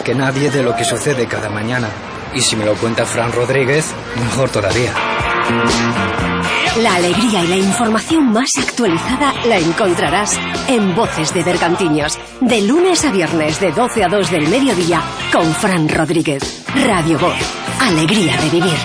más que nadie de lo que sucede cada mañana. Y si me lo cuenta Fran Rodríguez, mejor todavía. La alegría y la información más actualizada la encontrarás en Voces de Bergantiños, de lunes a viernes de 12 a 2 del mediodía con Fran Rodríguez. Radio Voz, alegría de vivir.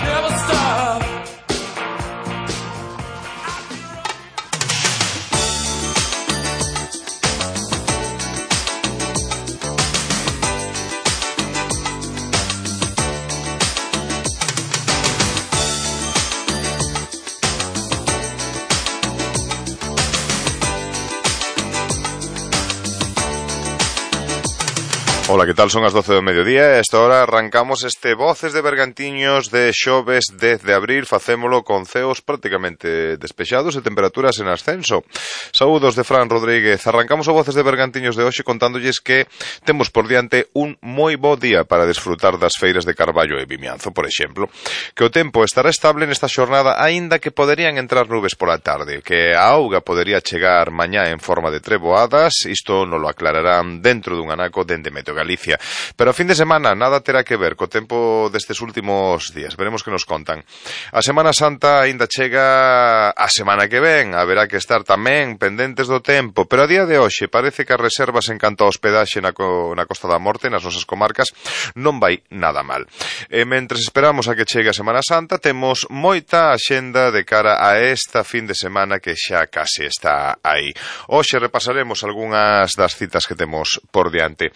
Ola, que tal? Son as 12 do mediodía e esta hora arrancamos este Voces de Bergantiños de xoves 10 de abril. Facémolo con ceos prácticamente despexados e temperaturas en ascenso. Saúdos de Fran Rodríguez. Arrancamos o Voces de Bergantiños de hoxe contándolles que temos por diante un moi bo día para desfrutar das feiras de Carballo e Vimianzo, por exemplo. Que o tempo estará estable nesta xornada, aínda que poderían entrar nubes pola tarde, que a auga podería chegar mañá en forma de treboadas. Isto non lo aclararán dentro dun anaco dende Meteo Galicia. Pero a fin de semana nada terá que ver co tempo destes últimos días. Veremos que nos contan. A Semana Santa aínda chega a semana que ven. Haberá que estar tamén pendentes do tempo. Pero a día de hoxe parece que as reservas en canto a hospedaxe na Costa da Morte, nas nosas comarcas, non vai nada mal. E mentres esperamos a que chegue a Semana Santa, temos moita axenda de cara a esta fin de semana que xa case está aí. Hoxe repasaremos algunhas das citas que temos por diante.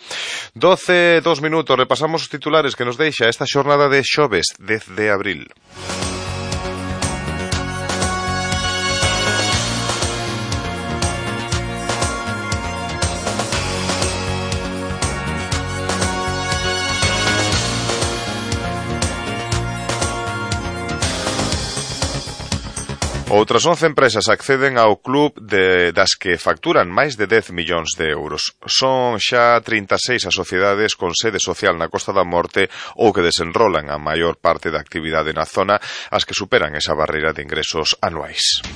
12, 2 minutos, repasamos os titulares que nos deixa esta xornada de xoves 10 de abril. Outras 11 empresas acceden ao club das que facturan máis de 10 millóns de euros. Son xa 36 as sociedades con sede social na Costa da Morte ou que desenrolan a maior parte da actividade na zona, as que superan esa barreira de ingresos anuais.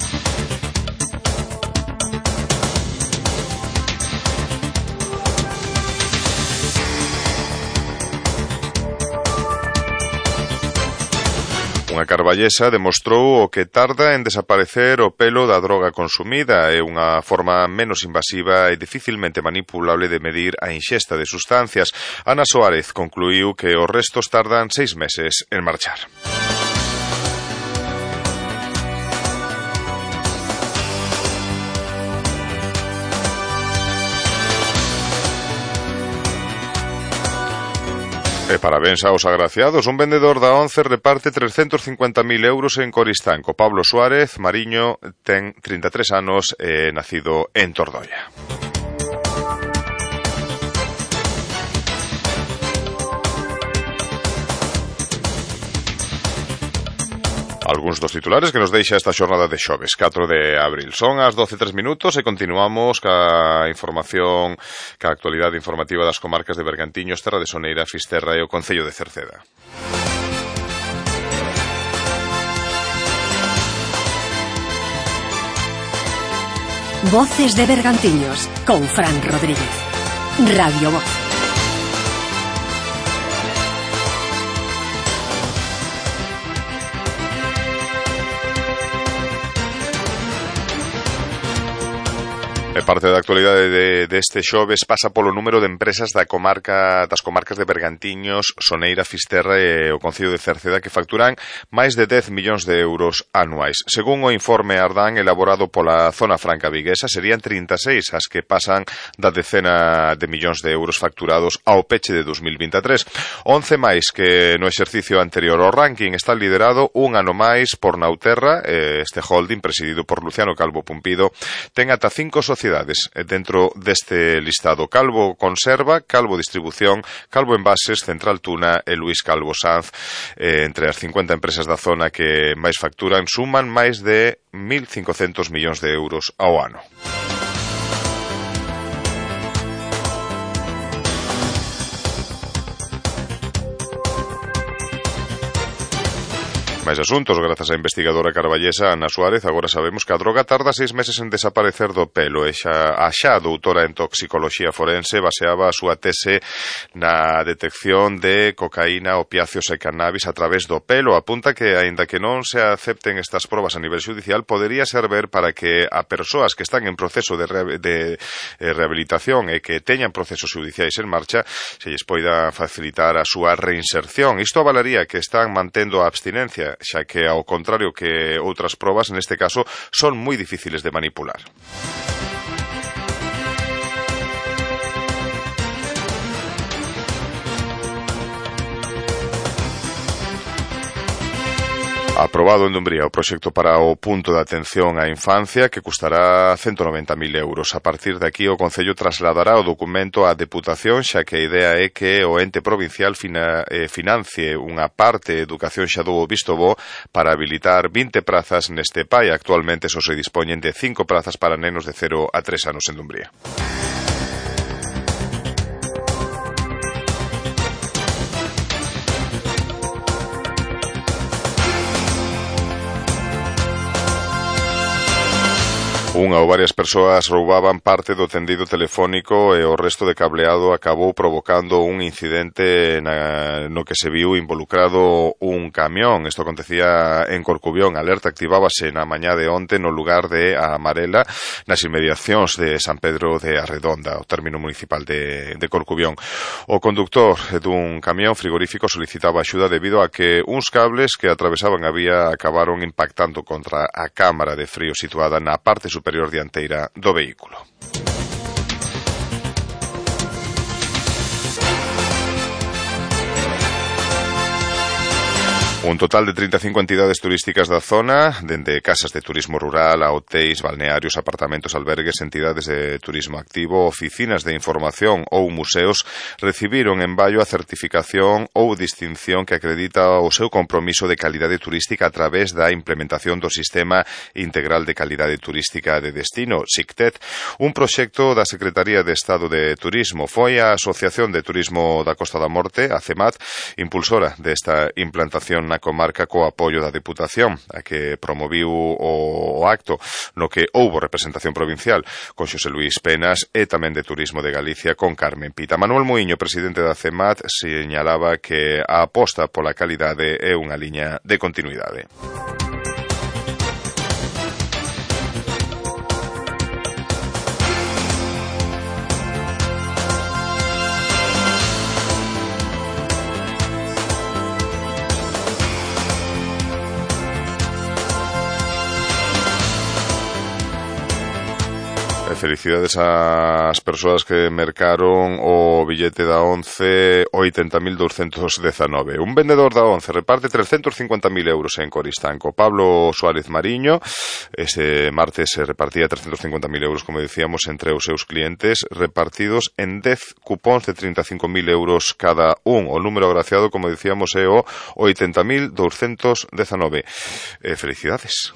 Unha carballesa demostrou o que tarda en desaparecer o pelo da droga consumida. É unha forma menos invasiva e dificilmente manipulable de medir a inxesta de sustancias. Ana Soárez concluiu que os restos tardan 6 meses en marchar. E parabéns aos agraciados. Un vendedor da ONCE reparte 350.000 euros en Coristanco. Pablo Suárez Mariño ten 33 anos e nacido en Tordoia. Algúns dos titulares que nos deixa esta xornada de xoves, 4 de abril. Son as 12:03 e continuamos ca información, ca actualidade informativa das comarcas de Bergantiños, Terra de Soneira, Fisterra e o Concello de Cerceda. Voces de Bergantiños con Fran Rodríguez. Radio Voz. E parte da actualidade deste xoves pasa polo número de empresas das comarcas de Bergantiños, Soneira, Fisterra e o Concello de Cerceda que facturan máis de 10 millóns de euros anuais. Según o informe Ardán elaborado pola Zona Franca Viguesa, serían 36 as que pasan da decena de millóns de euros facturados ao peche de 2023. 11 máis que no exercicio anterior. O ranking está liderado un ano máis por Nauterra. Este holding, presidido por Luciano Calvo Pumpido, ten ata 5 sociedades dentro deste listado: Calvo Conserva, Calvo Distribución, Calvo Envases, Central Tuna e Luís Calvo Sanz. Entre as 50 empresas da zona que máis facturan, suman máis de 1.500 millóns de euros ao ano. Máis asuntos, grazas á investigadora carballesa Ana Suárez, agora sabemos que a droga tarda 6 meses en desaparecer do pelo e xa a doutora en toxicoloxía forense baseaba a súa tese na detección de cocaína, opiáceos e cannabis a través do pelo. Apunta que, aínda que non se acepten estas probas a nivel xudicial, podería servir para que a persoas que están en proceso de rehabilitación e que teñan procesos xudiciais en marcha se lles poida facilitar a súa reinserción. Isto avalaría que están mantendo a abstinencia, xa que, ao contrario que outras probas, neste caso, son moi difíciles de manipular. Aprobado en Dumbría o proxecto para o punto de atención á infancia que custará 190.000 euros. A partir de aquí o Concello trasladará o documento á Deputación, xa que a idea é que o ente provincial financie unha parte de educación xa dou o visto bo para habilitar 20 prazas neste PAI. Actualmente só se dispoñen de 5 prazas para nenos de 0 a 3 anos en Dumbría. Unha ou varias persoas roubaban parte do tendido telefónico e o resto de cableado acabou provocando un incidente no que se viu involucrado un camión. Isto acontecía en Corcubión. A alerta activábase na mañá de onte no lugar de A Amarela, nas inmediacións de San Pedro de Arredonda, o término municipal de Corcubión. O conductor dun camión frigorífico solicitaba axuda debido a que uns cables que atravesaban a vía acabaron impactando contra a cámara de frío situada na parte superior dianteira do vehículo. Un total de 35 entidades turísticas da zona, dende casas de turismo rural a hotéis, balnearios, apartamentos, albergues, entidades de turismo activo, oficinas de información ou museos, recibiron en Baio a certificación ou distinción que acredita o seu compromiso de calidade turística a través da implementación do Sistema Integral de Calidade Turística de Destino, SICTED, un proxecto da Secretaría de Estado de Turismo. Foi a Asociación de Turismo da Costa da Morte, a CEMAT, impulsora desta implantación na comarca co apoio da Deputación, a que promoviu o acto no que houbo representación provincial con Xosé Luís Penas e tamén de Turismo de Galicia con Carmen Pita. Manuel Muiño, presidente da CEMAT, señalaba que a aposta pola calidade é unha liña de continuidade. Felicidades ás persoas que mercaron o billete da ONCE 80.219. Un vendedor da ONCE reparte 350.000 euros en Coristanco. Pablo Suárez Mariño, ese martes se repartía 350.000 euros, como decíamos, entre os seus clientes, repartidos en 10 cupóns de 35.000 euros cada un. O número agraciado, como decíamos, é o 80.219. Felicidades.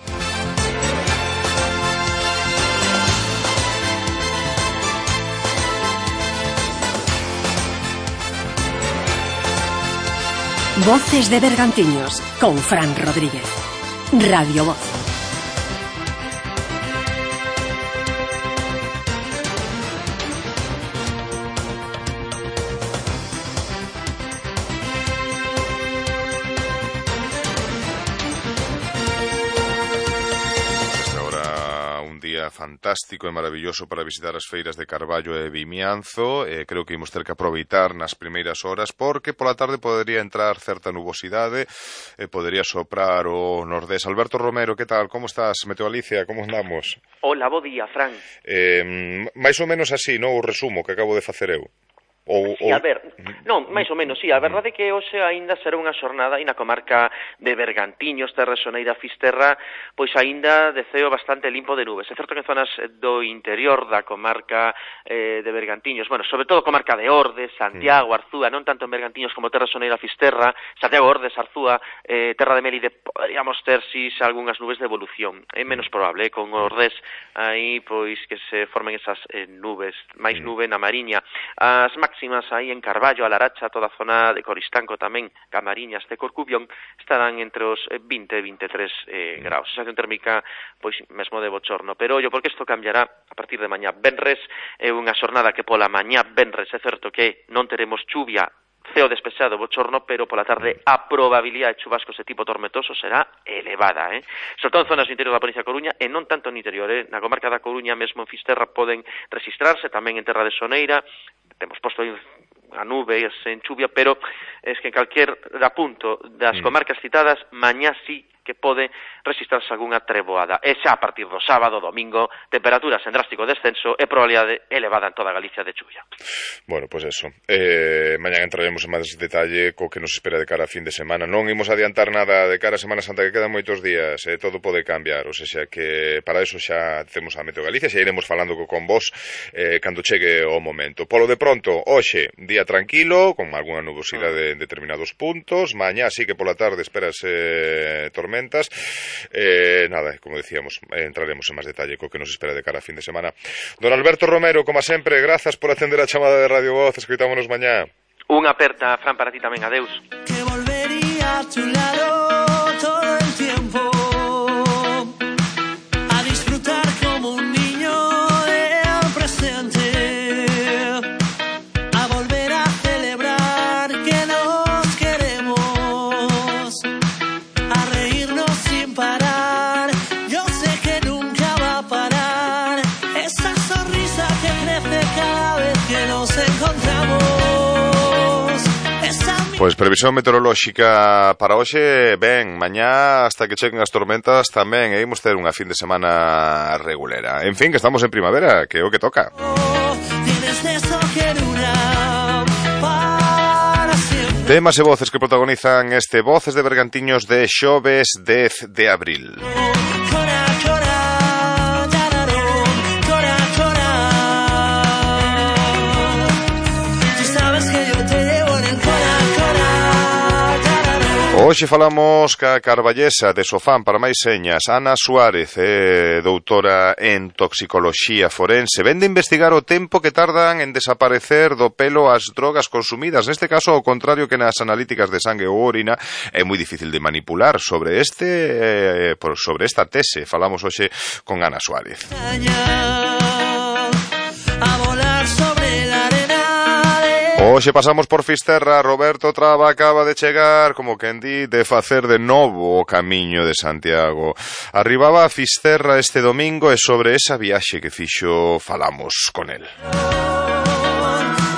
Voces de Bergantiños, con Fran Rodríguez. Radio Voz. Fantástico e maravilloso para visitar as feiras de Carballo e Vimianzo. Creo que imos ter que aproveitar nas primeiras horas porque pola tarde podería entrar certa nubosidade e podería soprar o nordés. Alberto Romero, que tal? Como estás? Meteo Alicia, como andamos? Hola, bo día, Fran. Mais ou menos así, non? O resumo que acabo de facer eu. Sí, a ver, non, máis ou menos, sí, a verdade é que hoxe aínda será unha xornada e na comarca de Bergantiños, Terra Soneira, Fisterra, pois aínda de ceo bastante limpo de nubes. É certo que en zonas do interior da comarca de Bergantiños, bueno, sobre todo comarca de Ordes, Santiago, Arzúa, non tanto en Bergantiños como Terra Soneira, Fisterra, Santiago, Ordes, Arzúa, Terra de Melide, poderíamos ter si algunhas nubes de evolución. É menos probable, con Ordes aí, pois, que se formen esas nubes, máis nube na Mariña. As máximas máximas aí en Carballo, a Laracha, toda a zona de Coristanco tamén, Camariñas de Corcubión, estarán entre os 20 e 23 graus. Sensación térmica, pois, mesmo de bochorno. Pero, ollo, porque isto cambiará a partir de mañá venres, é unha xornada que pola mañá venres é certo que non teremos chuvia, ceo despexado, bochorno, pero pola tarde a probabilidade de chubascos de tipo tormentoso será elevada, sobre todo en zonas do interior da provincia de Coruña e non tanto no interior, na comarca da Coruña mesmo en Fisterra poden registrarse, tamén en Terra de Soneira, temos posto aí a nubes en chuvia, pero es que en calquer punto das comarcas citadas, mañá sí que pode registrarse algunha treboada. E xa a partir do sábado, domingo, temperaturas en drástico descenso e probabilidade elevada en toda Galicia de chuvia. Bueno, pues eso. Mañá entraremos en máis detalle co que nos espera de cara a fin de semana. Non imos adiantar nada de cara a Semana Santa, que quedan moitos días, todo pode cambiar, o sea que para eso xa temos a Meteo Galicia, xa iremos falando con vos cando chegue o momento. Polo de pronto, hoxe, día tranquilo, con algunha nubosidade en determinados puntos, mañá sí que pola tarde esperas tormentas. Nada, como decíamos, entraremos en máis detalle co que nos espera de cara a fin de semana. Don Alberto Romero, como sempre, grazas por atender a chamada de Radio Voz. Escoitámonos mañá. Unha aperta, Fran, para ti tamén. Adeus. Que volvería a tu lado todo el tiempo, a disfrutar como un niño del presente, a volver a celebrar que nos queremos, a reírnos sin parar. Yo sé que nunca va a parar esa sonrisa que crece cada vez que nos encontramos. Pois previsión meteorolóxica para hoxe, ben, mañá hasta que cheguen as tormentas tamén, e imos ter unha fin de semana regulera. En fin, que estamos en primavera, que é o que toca. Temas e voces que protagonizan este Voces de Bergantiños de xoves 10 de abril. Hoxe falamos ca carballesa de Sofán para máis señas, Ana Suárez, doutora en toxicoloxía forense. Vén de investigar o tempo que tardan en desaparecer do pelo as drogas consumidas. Neste caso, ao contrario que nas analíticas de sangue ou orina, é moi difícil de manipular. Sobre esta tese falamos hoxe con Ana Suárez. Hoxe pasamos por Fisterra. Roberto Traba acaba de chegar, como quen di, de facer de novo o camiño de Santiago. Arribaba a Fisterra este domingo e sobre esa viaxe que fixo falamos con el.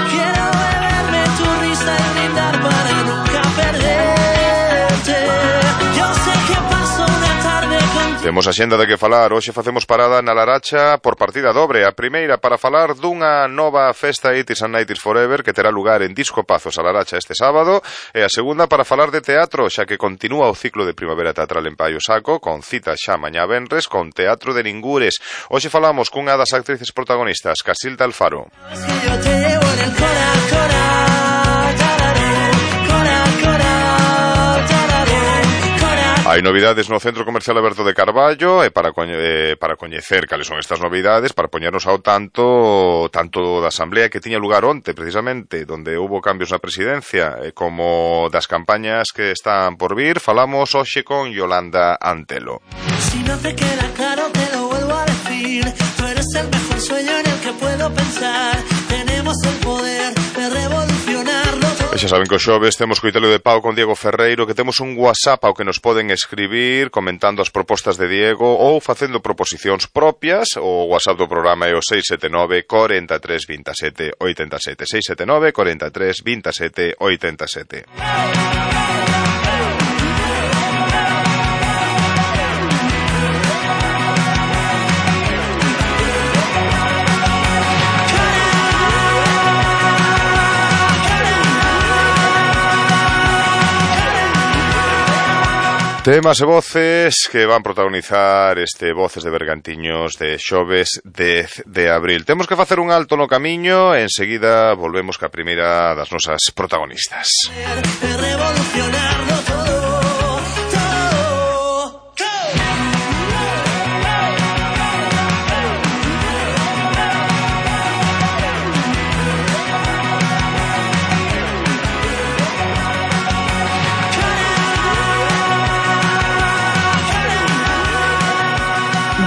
Quiero beberme tu risa y brindar para nunca perderte. Yo sé que paso una tarde contigo. Temos a xenda de que falar. Hoxe facemos parada na Laracha por partida dobre. A primeira para falar dunha nova festa 80s and 90s Forever que terá lugar en Disco Pazos a Laracha este sábado, e a segunda para falar de teatro, xa que continúa o ciclo de primavera teatral en Paio Saco, con cita xa mañá venres con Teatro de Ningures. Hoxe falamos cunha das actrices protagonistas, Casilda Alfaro. Es que yo te llevo en el corazón. Hai novidades no Centro Comercial Aberto de Carballo, e para coñecer cales son estas novidades, para poñernos ao tanto da asamblea que tiña lugar onte, precisamente, donde hubo cambios na presidencia, como das campañas que están por vir, falamos hoxe con Yolanda Antelo. Si no te queda claro, te lo vuelvo a decir. Tú eres el mejor sueño en el que puedo pensar. Tenemos el poder de revolucionarlo todo. E xa saben que os xoves temos coitelo de pau con Diego Ferreiro, que temos un WhatsApp ao que nos poden escribir comentando as propostas de Diego ou facendo proposicións propias. O WhatsApp do programa é o 679 43 27 87, 679 43 27 87. Temas e voces que van protagonizar este Voces de Bergantiños de xoves 10 de abril. Temos que facer un alto no camiño e enseguida volvemos ca primeira das nosas protagonistas.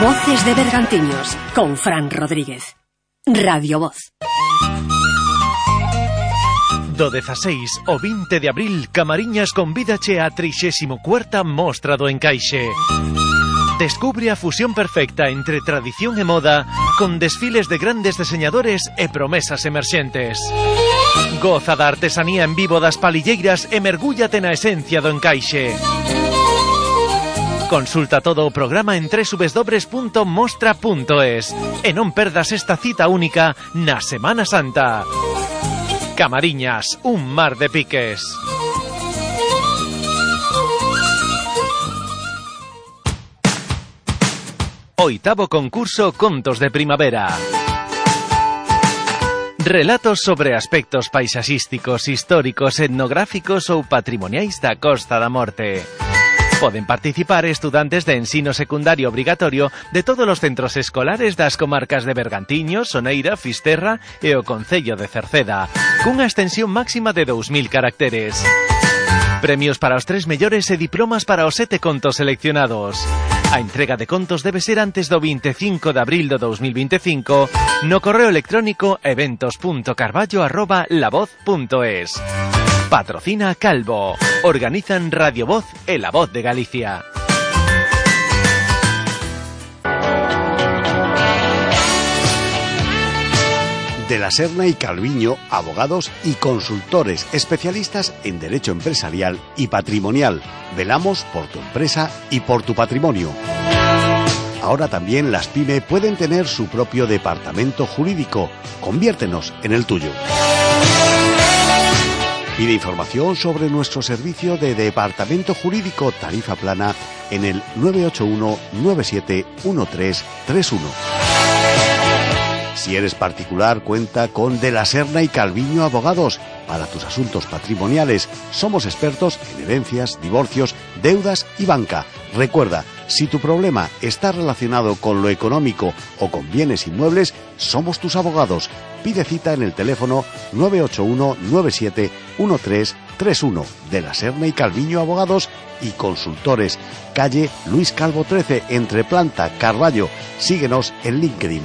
Voces de Bergantiños, con Fran Rodríguez. Radio Voz. Do 16 ao 20 de abril, Camariñas convídache a 34ª Mostra do Encaixe. Descubre a fusión perfecta entre tradición e moda, con desfiles de grandes diseñadores e promesas emerxentes. Goza da artesanía en vivo das palilleiras e mergúllate na esencia do encaixe. Consulta todo o programa en www.mostra.es e non perdas esta cita única na Semana Santa. Camariñas, un mar de piques. Oitavo concurso Contos de Primavera. Relatos sobre aspectos paisaxísticos, históricos, etnográficos ou patrimoniais da Costa da Morte. Poden participar estudantes de ensino secundario obrigatorio de todos os centros escolares das comarcas de Bergantiños, Soneira, Fisterra e o concello de Cerceda, cunha extensión máxima de 2000 caracteres. Premios para os 3 mellores e diplomas para os 7 contos seleccionados. A entrega de contos debe ser antes do 25 de abril do 2025 no correo electrónico eventos.carballo@lavoz.es. Patrocina Calvo. Organizan Radio Voz e La Voz de Galicia. De la Serna y Calviño, abogados y consultores especialistas en derecho empresarial y patrimonial. Velamos por tu empresa y por tu patrimonio. Ahora también las PYME pueden tener su propio departamento jurídico. Conviértenos en el tuyo. Pide información sobre nuestro servicio de departamento jurídico tarifa plana en el 981 97 1331. Si eres particular, cuenta con De la Serna y Calviño Abogados. Para tus asuntos patrimoniales, somos expertos en herencias, divorcios, deudas y banca. Recuerda, si tu problema está relacionado con lo económico o con bienes inmuebles, somos tus abogados. Pide cita en el teléfono 981 97 1331. De la Serna y Calviño Abogados y Consultores. Calle Luis Calvo 13, entre Planta, Carballo. Síguenos en LinkedIn.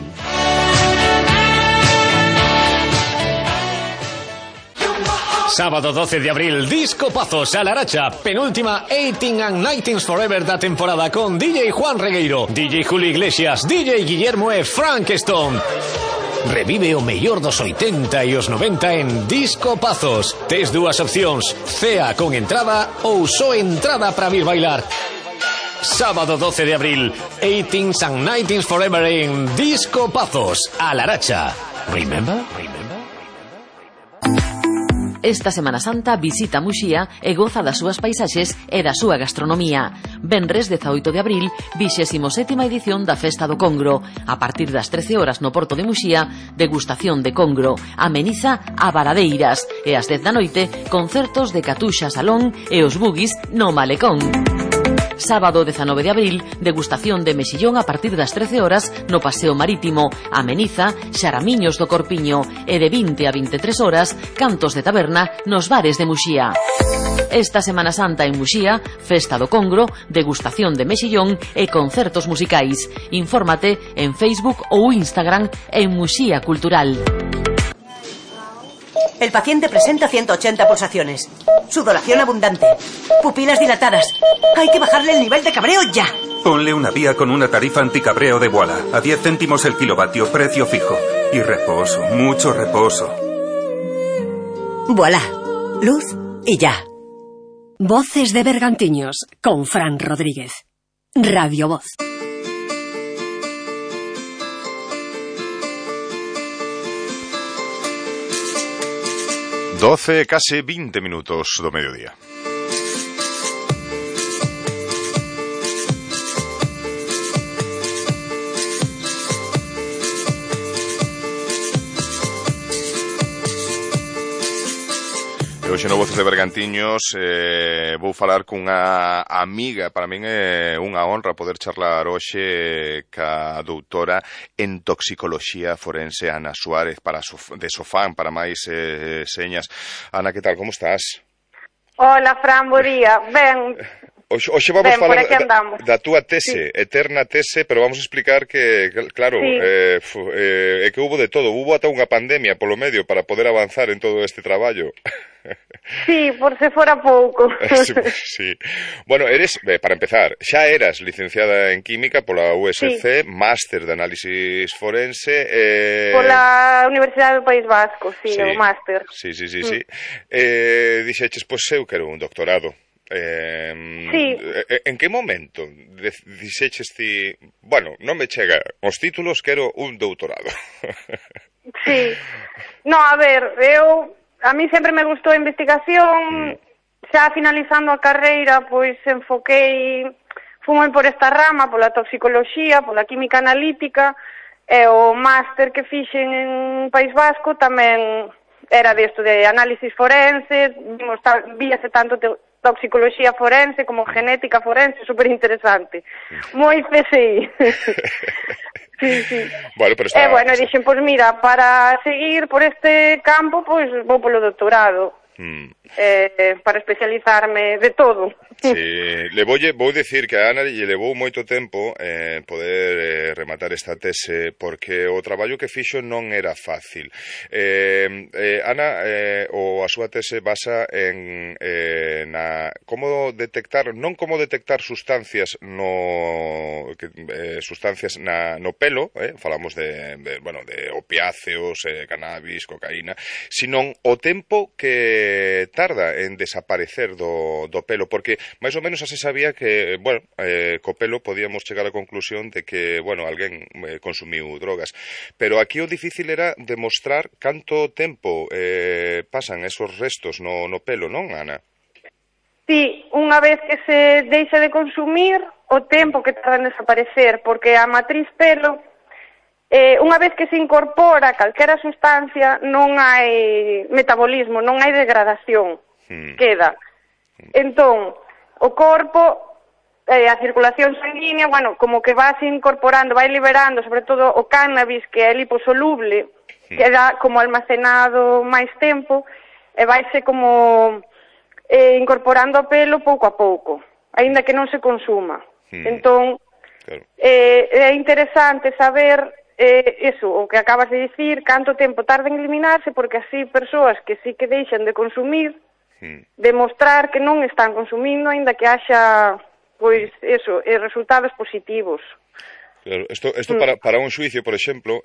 Sábado 12 de abril, Disco Pazos a Laracha, penúltima 18 and 19 Forever da temporada con DJ Juan Regueiro, DJ Julio Iglesias, DJ Guillermo e Frankenstone. Revive o mellor dos 80 e os 90 en Disco Pazos. Tes dúas opcións, cea con entrada ou só entrada para vir bailar. Sábado 12 de abril, 18 and 19 Forever en Disco Pazos a Laracha. Remember? Esta Semana Santa visita Muxía e goza das súas paisaxes e da súa gastronomía. Venres 18 de abril, 27ª edición da Festa do Congro. A partir das 13 horas no Porto de Muxía, degustación de congro. Ameniza a Varadeiras. E ás 10 da noite, concertos de Catuxa Salón e os Bugis no Malecón. Sábado 19 de abril, degustación de mexillón a partir das 13 horas no Paseo Marítimo. Ameniza Xaramiños do Corpiño e de 20 a 23 horas, cantos de taberna nos bares de Muxía. Esta Semana Santa en Muxía, Festa do Congro, degustación de mexillón e concertos musicais. Infórmate en Facebook ou Instagram en Muxía Cultural. El paciente presenta 180 pulsaciones. Sudoración abundante. Pupilas dilatadas. Hay que bajarle el nivel de cabreo ya. Ponle una vía con una tarifa anticabreo de Voilà. A 10 céntimos el kilovatio, precio fijo. Y reposo, mucho reposo. Voilà. Luz y ya. Voces de Bergantiños, con Fran Rodríguez. Radio Voz. Doce, case 20 minutos do mediodía. E hoxe no Voces de Bergantiños vou falar cunha amiga. Para min é unha honra poder charlar hoxe ca doutora en toxicoloxía forense Ana Suárez de Sofán, para máis señas. Ana, que tal, como estás? Hola, Fran, bo día. Ben, Hoxe vamos falar da túa tese, eterna tese, pero vamos a explicar que, claro, é que hubo de todo, hubo ata unha pandemia polo medio para poder avanzar en todo este traballo. Sí, por se fora pouco. Sí. Bueno, para empezar, xa eras licenciada en Química pola USC, máster de análisis forense... Pola Universidade do País Vasco, o máster. Sí. Dixeches, pois eu quero un doctorado. En que momento dixeches ti, bueno, non me chega os títulos, quero un doutorado? Sí. No, a ver, a mí sempre me gustou a investigación, xa finalizando a carreira, pois fui por esta rama, pola toxicoloxía, pola química analítica, e o máster que fixen en País Vasco tamén era desto de análisis forense, víase tanto toxicoloxía forense como genética forense, super interesante. Moi PSI. Sí. Bueno, pero dixen, pois mira, para seguir por este campo, pois vou polo doutorado. Para especializarme de todo. Sí, vou dicir que a Ana lle levou moito tempo poder rematar esta tese, porque o traballo que fixo non era fácil. Ana, a súa tese basa en como detectar, non como detectar sustancias no pelo, falamos de opiáceos, cannabis, cocaína, sino o tempo que tarda en desaparecer do pelo, porque máis ou menos se sabía que, co pelo podíamos chegar á conclusión de que, alguén consumiu drogas, pero aquí o difícil era demostrar canto tempo pasan esos restos no pelo, non, Ana? Sí, unha vez que se deixa de consumir, o tempo que tarda en desaparecer, porque a matriz pelo, unha vez que se incorpora calquera sustancia, non hai metabolismo, non hai degradación, queda. Entón, o corpo, a circulación sanguínea, como que vas incorporando, vai liberando, sobre todo o cannabis, que é liposoluble, queda como almacenado máis tempo, e vaise como incorporando o pelo pouco a pouco, aínda que non se consuma. Entón, é interesante saber o que acabas de dicir, canto tempo tarda en eliminarse, porque así persoas que sí que deixan de consumir, demostrar que non están consumindo, aínda que haxa, resultados positivos. Claro, isto para un xuicio, por exemplo,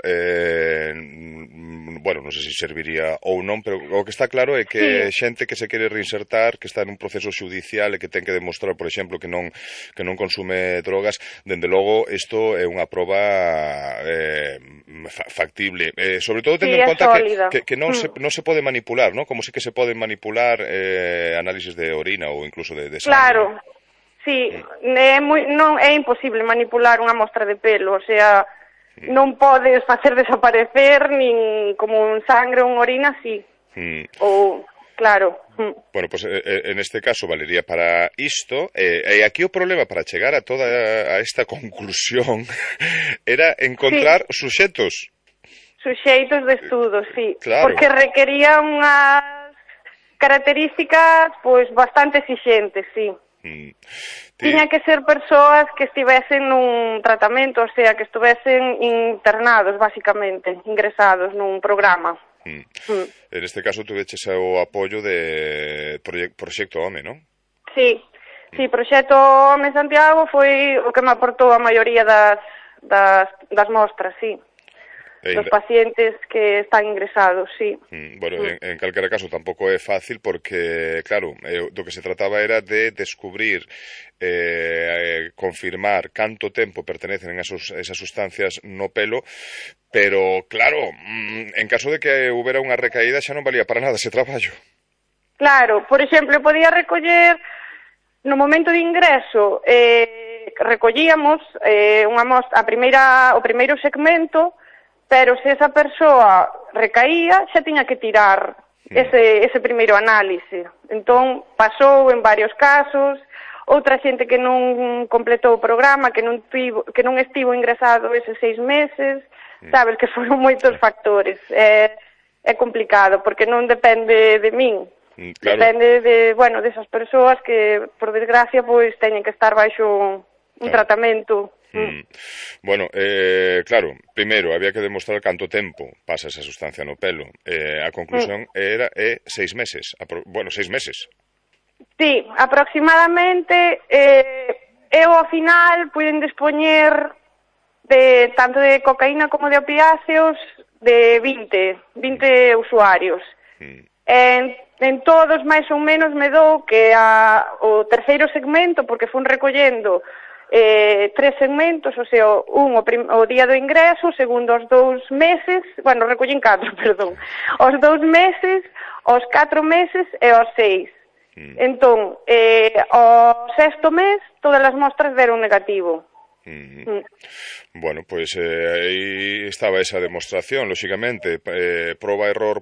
non sei se serviría ou non, pero o que está claro é que xente que se quere reinsertar, que está nun proceso xudicial e que ten que demostrar, por exemplo, que non consume drogas, dende logo, isto é unha proba factible. Sobre todo tendo en conta que non se pode manipular, non? Como se que se poden manipular análisis de orina ou incluso de sangre. Claro. Sí, é imposible manipular unha mostra de pelo, o sea, non podes facer desaparecer nin como un sangre ou unha orina, sí. Ou, claro. Bueno, pues en este caso valería para isto, e aquí o problema para chegar a toda esta conclusión era encontrar suxeitos. Suxeitos de estudo, sí. Claro. Porque requería unhas características, bastante exixentes, sí. Tiña que ser persoas que estivesen nun tratamento, o sea, que estuvesen internados, basicamente, ingresados nun programa. En este caso tuveches o apoio de Proxecto Home, non? Sí, Proxecto Home Santiago foi o que me aportou a maioría das mostras, sí. Dos pacientes que están ingresados, sí. Bueno, en calquera caso tampouco é fácil porque, claro, do que se trataba era de descubrir, confirmar canto tempo pertenecen esas sustancias no pelo, pero, claro, en caso de que houbera unha recaída xa non valía para nada ese traballo. Claro, por exemplo, podía recoller, no momento de ingreso, recollíamos unha mostra, o primeiro segmento, pero se esa persoa recaía, xa tiña que tirar ese primeiro análise. Entón, pasou en varios casos, outra xente que non completou o programa, que non estivo ingresado eses 6 meses, que foron moitos factores. É complicado, porque non depende de min, Claro. Depende de, bueno, desas persoas que, por desgracia, pois teñen que estar baixo un tratamento. Bueno, claro, primeiro había que demostrar canto tempo pasa esa sustancia no pelo. A conclusión era 6 meses. Bueno, 6 meses. Sí, aproximadamente. Eu ao final puiden dispoñer de tanto de cocaína como de opiáceos de 20 usuarios. En todos máis ou menos me dou que o terceiro segmento, porque fun recollendo 3 segmentos, o sea, o día do ingreso, o segundo os 2 meses, bueno, recollín 4, perdón, os 2 meses, os 4 meses e os 6. Entón, o sexto mes, todas as mostras deron negativo. Bueno, pois aí estaba esa demostración, lóxicamente, proba-error,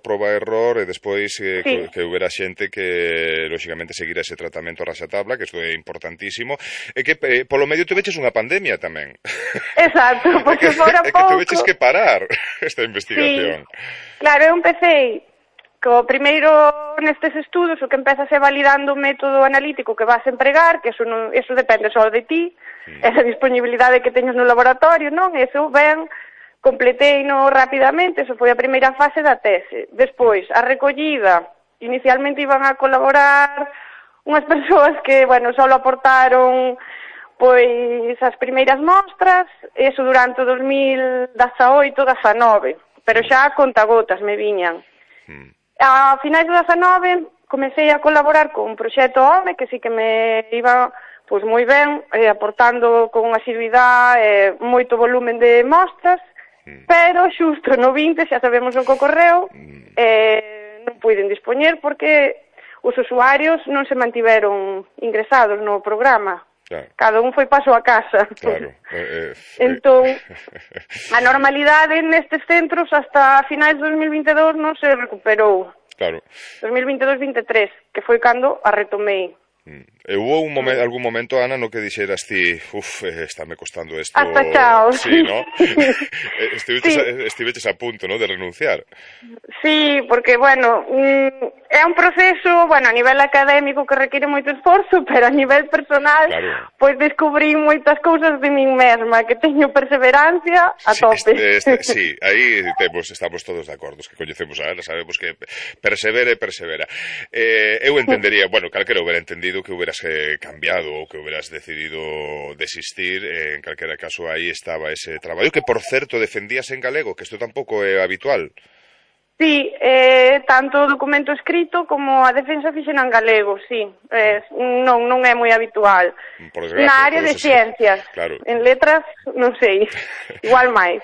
e despois que houbera xente que, lóxicamente, seguira ese tratamento a raxatabla, que isto é importantísimo, e que, polo medio, tuveches unha pandemia tamén. Exacto, porque fora pouco... É que tuveches que parar esta investigación. Sí, claro, eu empecé... Co primeiro nestes estudos o que empezas é validando o método analítico que vas a empregar, que eso depende só de ti, esa disponibilidade que teñas no laboratorio, non? Eso ben, completeino rapidamente, eso foi a primeira fase da tese. Despois, a recollida, inicialmente iban a colaborar unhas persoas que, bueno, só aportaron pois as primeiras mostras, eso durante o 2018-19, pero xa a contagotas me viñan. A finais do 19 comecei a colaborar con un proxecto HOME que sí que me iba pois moi ben, aportando con asiduidade moito volumen de mostras, pero xusto no 20 xa sabemos o que ocorreu, non puiden dispoñer porque os usuarios non se mantiveron ingresados no programa. Claro. Cada un foi paso a casa. Claro. Entón, a normalidade nestes centros hasta finais de 2022 non se recuperou. Claro. 2022-23, que foi cando a retomei. Hubo algún momento, Ana, no que dixeras ti, estáme costando isto... Hasta chao. Sí, ¿no? Estiveches a punto, ¿no?, de renunciar. Sí, porque, bueno, é un proceso, bueno, a nivel académico que requiere moito esforzo, pero a nivel personal, claro, pois descubrí moitas cousas de min mesma, que teño perseverancia a tope. Sí, aí estamos todos de acordo, que coñecemos a Ana, sabemos que persevera. Eu entendería, bueno, calquera hubiera entendido que hubieras cambiado ou que hubieras decidido desistir, en calquera caso aí estaba ese traballo que, por certo, defendías en galego, que isto tampouco é habitual. Sí, tanto o documento escrito como a defensa fixena en galego, sí, non é moi habitual. Por desgracia, na área de ciencias, claro. En letras, non sei, igual máis.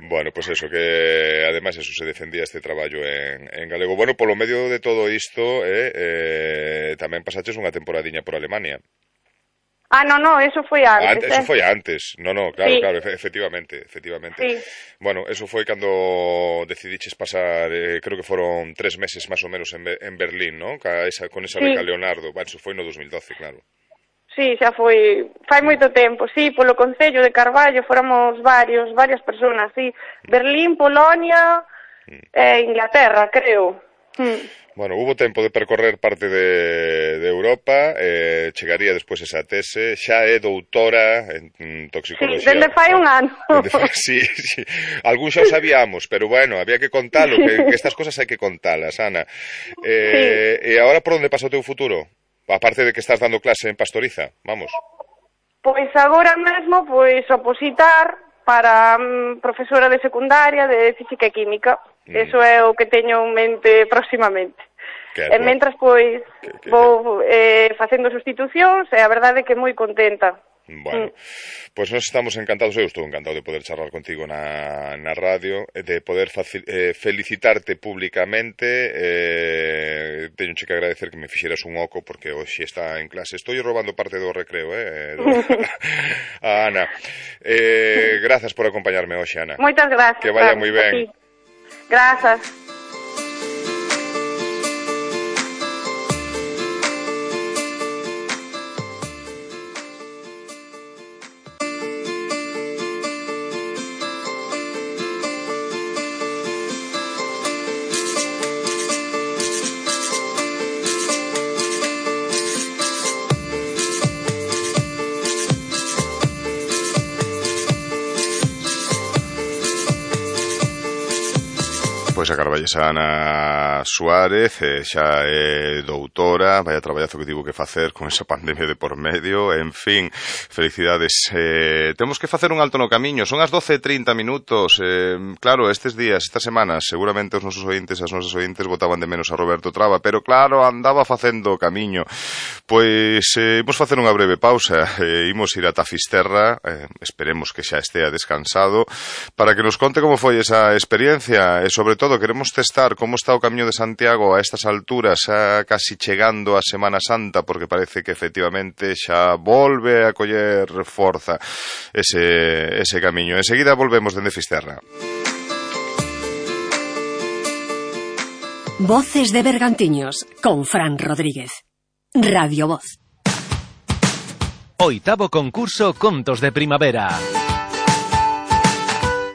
Bueno, pues eso, que además eso se defendía este traballo en galego. Bueno, polo medio de todo isto, tamén pasaches unha temporadiña por Alemania. No, eso foi antes. Eso foi antes. No, claro, sí. Claro, efectivamente. Sí. Bueno, eso foi cando decidiches pasar, creo que foron 3 meses máis ou menos en Berlín, ¿no? Con esa beca Leonardo. Bueno, eso foi no 2012, claro. Sí, xa foi, fai moito tempo, sí, polo Concello de Carballo fóramos varias persoas, sí, Berlín, Polonia e Inglaterra, creo. Bueno, hubo tempo de percorrer parte de Europa, chegaría despois esa tese, xa é doutora en toxicoloxía. Sí, dende fai un ano. Sí, algún xa o sabíamos, pero bueno, había que contalo, que estas cosas hai que contalas, Ana. E agora por onde pasa o teu futuro? Aparte de que estás dando clase en Pastoriza, vamos. Pois agora mesmo, opositar para profesora de secundaria de Física e Química. Eso é o que teño en mente próximamente. E mentras, vou facendo sustitucións e a verdade é que moi contenta. Bueno, pois nós estamos encantados, eu estou encantado de poder charlar contigo na radio, de poder felicitarte públicamente, teño que agradecer que me fixeras un oco porque hoxe está en clase, estou robando parte do recreo, a Ana. Grazas por acompañarme hoxe, Ana. Moitas gracias. Que vaya moi ben. Grazas. Pois a carballesa Ana Suárez xa é doutora, vaya traballazo que tivo que facer con esa pandemia de por medio, en fin, felicidades. Temos que facer un alto no camiño, son as 12:30 minutos, claro, estes días, estas semanas, seguramente os nosos ointes e as nosas ointes botaban de menos a Roberto Traba, pero claro, andaba facendo camiño. Pois imos facer unha breve pausa, imos ir ata Fisterra, esperemos que xa estea descansado, para que nos conte como foi esa experiencia e sobre todo queremos testar como está o Camiño de Santiago a estas alturas, xa casi chegando a Semana Santa, porque parece que efectivamente xa volve a coller forza ese camiño. Enseguida volvemos dende Fisterra. Voces de Bergantiños con Fran Rodríguez. Radio Voz. Oitavo concurso Contos de Primavera.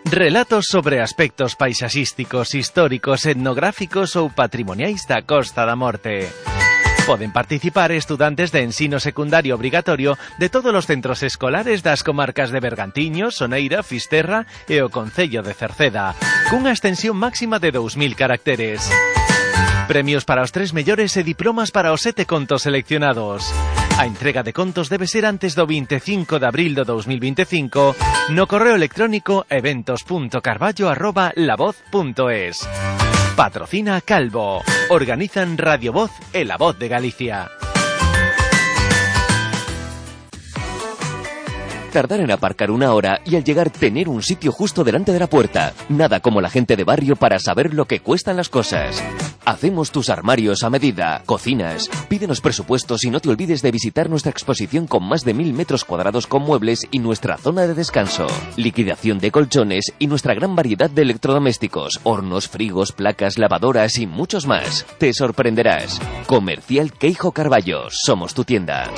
Relatos sobre aspectos paisaxísticos, históricos, etnográficos ou patrimoniais da Costa da Morte. Poden participar estudantes de ensino secundario obrigatorio de todos os centros escolares das comarcas de Bergantiños, Soneira, Fisterra e o concello de Cerceda, cunha extensión máxima de 2000 caracteres. Premios para os 3 mellores e diplomas para os 7 contos seleccionados. A entrega de contos debe ser antes do 25 de abril do 2025 no correo electrónico eventos.carballo@lavoz.es. Patrocina Calvo. Organizan Radio Voz e La Voz de Galicia. Tardar en aparcar 1 hora y al llegar tener un sitio justo delante de la puerta. Nada como la gente de barrio para saber lo que cuestan las cosas. Hacemos tus armarios a medida, cocinas. Pídenos presupuestos y no te olvides de visitar nuestra exposición con más de 1000 metros cuadrados con muebles y nuestra zona de descanso. Liquidación de colchones y nuestra gran variedad de electrodomésticos, hornos, frigos, placas, lavadoras y muchos más. Te sorprenderás. Comercial Queijo Carballo. Somos tu tienda.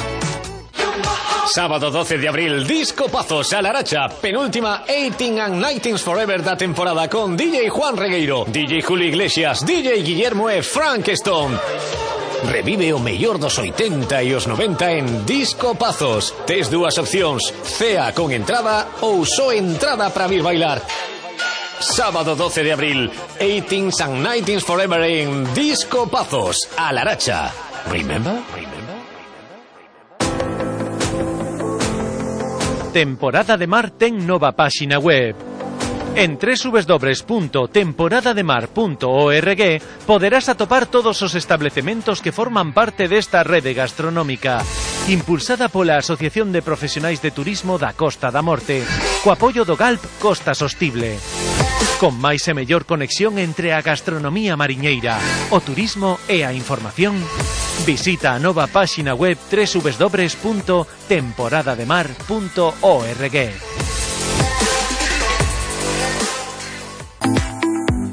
Sábado 12 de abril, Discopazos a Laracha, penúltima 18 and 19 Forever da temporada con DJ Juan Regueiro, DJ Julio Iglesias, DJ Guillermo e Frank Stone. Revive o mellor dos 80 e os 90 en Discopazos. Tes dúas opcións, cea con entrada ou só entrada para vir bailar. Sábado 12 de abril, 18 and 19 Forever en Discopazos a Laracha. Remember? Temporada de Mar ten nova páxina web. En www.temporadademar.org poderás atopar todos os establecementos que forman parte desta rede gastronómica, impulsada pola Asociación de Profesionais de Turismo da Costa da Morte, co apoio do GALP Costa Sostible. Con máis e mellor conexión entre a gastronomía mariñeira, o turismo e a información, visita a nova páxina web www.temporadademar.org.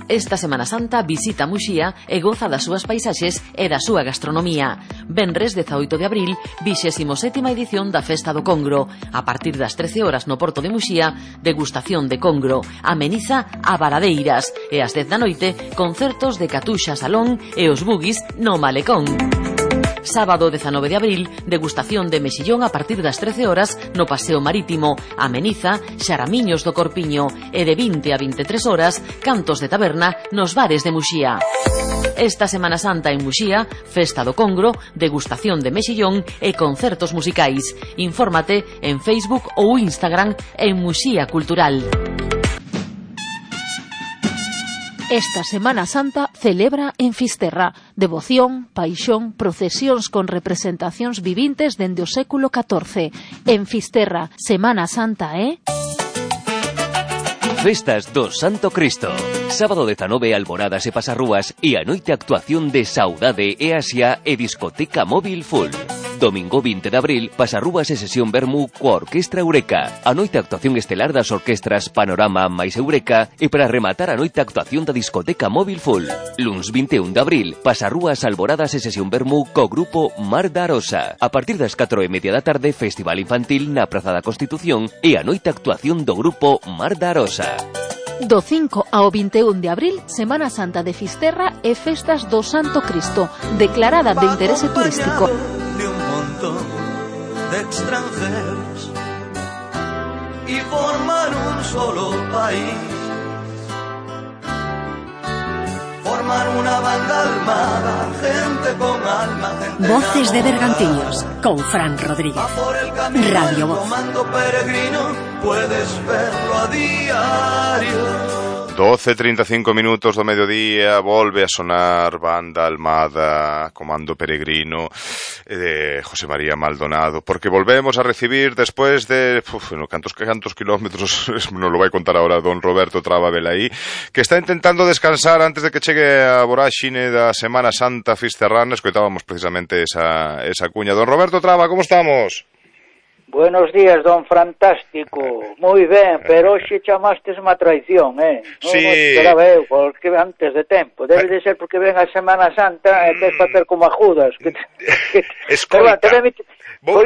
Esta Semana Santa visita Muxía e goza das súas paisaxes e da súa gastronomía. Venres 18 de abril, 27ª edición da Festa do Congro. A partir das 13 horas no Porto de Muxía, degustación de congro, ameniza a Varadeiras e ás 10 da noite, concertos de Catuxa Salón e os Bugis no Malecón. Sábado 19 de abril, degustación de mexillón a partir das 13 horas no Paseo Marítimo, ameniza Xaramiños do Corpiño e de 20 a 23 horas, cantos de taberna nos bares de Muxía. Esta Semana Santa en Muxía, Festa do Congro, degustación de mexillón e concertos musicais. Infórmate en Facebook ou Instagram en Muxía Cultural. Esta Semana Santa celebra en Fisterra devoción, paixón, procesións con representacións vivintes dende o século XIV. En Fisterra, Semana Santa Festas do Santo Cristo. Sábado 19, alboradas e pasarrúas e a noite actuación de Saudade e Asia e discoteca móvil full. Domingo 20 de abril, pasarrúas e sesión Bermú coa Orquestra Eureka. A noite actuación estelar das orquestras Panorama máis Eureka e para rematar a noite actuación da discoteca móvil full. Luns 21 de abril, pasarrúas, alboradas e sesión Bermú co grupo Mar da Arosa. A partir das 4:30 da tarde, festival infantil na Praza da Constitución e a noite actuación do grupo Mar da Arosa. Do 5 ao 21 de abril, Semana Santa de Fisterra e Festas do Santo Cristo, declarada de interese turístico. De un montón de extranjeros y forman un solo país. armar una banda armada, gente con alma, gente Voces de Bergantiños, con Fran Rodríguez. Radio Voz. Comando peregrino, puedes verlo a diario. 12:35 minutos do mediodía, volve a sonar Banda Almada, Comando Peregrino de José María Maldonado, porque volvemos a recibir después de cantos kilómetros, non lo vai contar ahora don Roberto Traba Velaí, que está intentando descansar antes de que chegue a voráxine da Semana Santa fisterrana. Escoitábamos precisamente esa cuña. Don Roberto Traba, como estamos? Buenos días, don Fantástico. Moi ben, pero hoxe chamastes má traición, Non esperaba eu, porque antes de tempo. Debe de ser porque ven a Semana Santa e queres facer como a Judas. Escoita, vou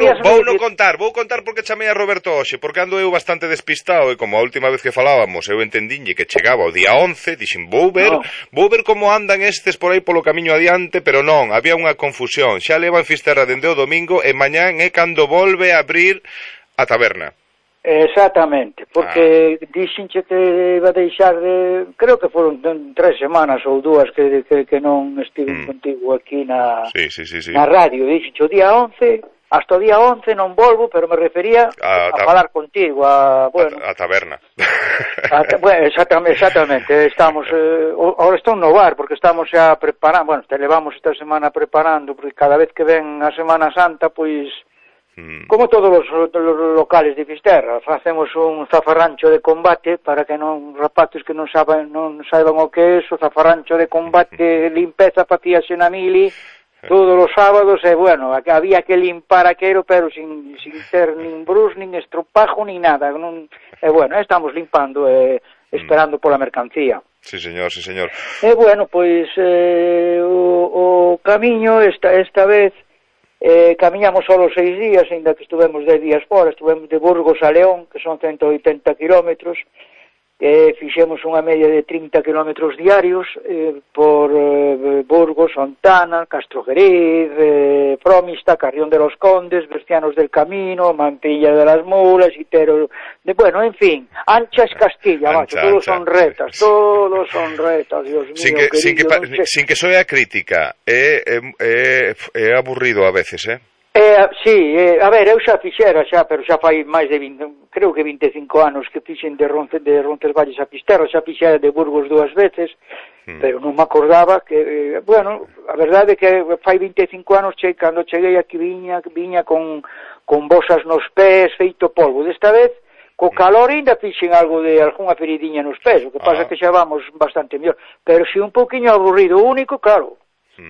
contar porque chamei a Roberto hoxe, porque ando eu bastante despistado e como a última vez que falábamos eu entendinlle que chegaba o día 11, dixen vou ver como andan estes por aí polo camiño adiante, pero non, había unha confusión. Xa levan Fisterra dende o domingo e mañán é cando volve a abrir a taberna. Exactamente, porque dixenche que iba a deixar de... Creo que foron 3 semanas ou 2 que non estive contigo aquí na radio. Dixenche o día 11, hasta o día 11 non volvo, pero me refería a falar contigo, a taberna. Bueno, exactamente, estamos... ahora estou no bar, porque estamos xa preparando, bueno, te levamos esta semana preparando, porque cada vez que ven a Semana Santa, pois... Como todos os locales de Fisterra, facemos un zafarrancho de combate para que non rapaces que non saiban o que é o zafarrancho de combate, limpeza facíase na mili todos os sábados e bueno, había que limpar aquero pero sin ter nin brus, nin estropajo, nin nada. E bueno, estamos limpando esperando pola mercancía. Sí, señor. E bueno, pois o camiño esta vez camiñamos só 6 días, ainda que estuvemos 10 días fora. Estuvemos de Burgos a León, que son 180 kilómetros, fixemos unha media de 30 kilómetros diarios por Burgos, Ontana, Castrojeriz, Fromista, Carrión de los Condes, Bercianos del Camino, Mantilla de las Mulas, Itero, bueno, en fin, Anchas Castilla, macho, todos son retas, Dios mío, sin que soe a crítica, é aburrido a veces, a ver, eu xa fixera pero xa fai máis de 20, creo que 25 anos que fixen de Roncesvalles a Fisterra, xa fixera de Burgos 2 veces, pero non me acordaba que, bueno, a verdade é que fai 25 anos cando cheguei aquí viña con bosas nos pés, feito polvo. Desta vez, co calor ainda fixen algunha feridiña nos pés, o que pasa que xa vamos bastante mellor, pero si un pouquiño aburrido, único, claro,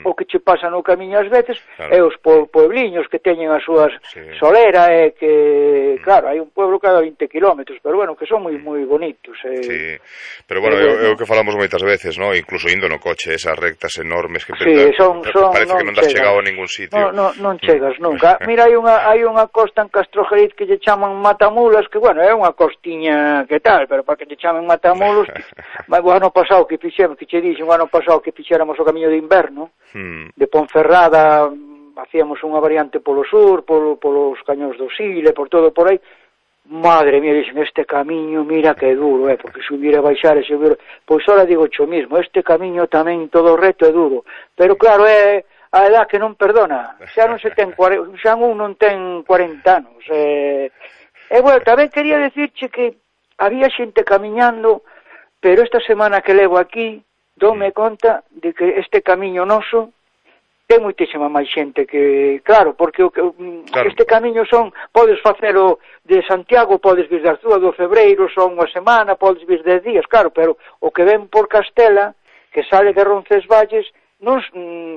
o que che pasa no camiño ás veces é os puebliños que teñen as súas solera e que, claro, hai un pueblo cada 20 kilómetros, pero bueno, que son moi bonitos. Sí, pero bueno, é o que falamos moitas veces, ¿no? Incluso indo no coche, esas rectas enormes que parece que non das chegado a ningún sitio. Non chegas nunca. Mira, hai unha costa en Castrojeriz que lle chaman Matamulas, que bueno, é unha costiña que tal, pero para que lle chamen Matamulos, o ano pasado que fixemos, que che dixen, o ano pasado que fixéramos o camiño de inverno, de Ponferrada, hacíamos unha variante polo sur, polos cañóns do Sile, por todo por aí. Madre mía, dixen, este camiño, mira que duro, porque subir e baixar e subir, pois ahora digo xo mismo, este camiño tamén todo reto é duro, pero claro, é a edad que non perdona, xa non non ten 40 anos, bueno, tamén quería decirche que había xente camiñando, pero esta semana que levo aquí, dome conta de que este camiño noso ten moitísima máis xente que, claro, porque este camiño podes facelo de Santiago, podes vir de Arzúa do Febreiro, son unha semana, podes vir 10 días, claro, pero o que ven por Castela, que sale de Roncesvalles,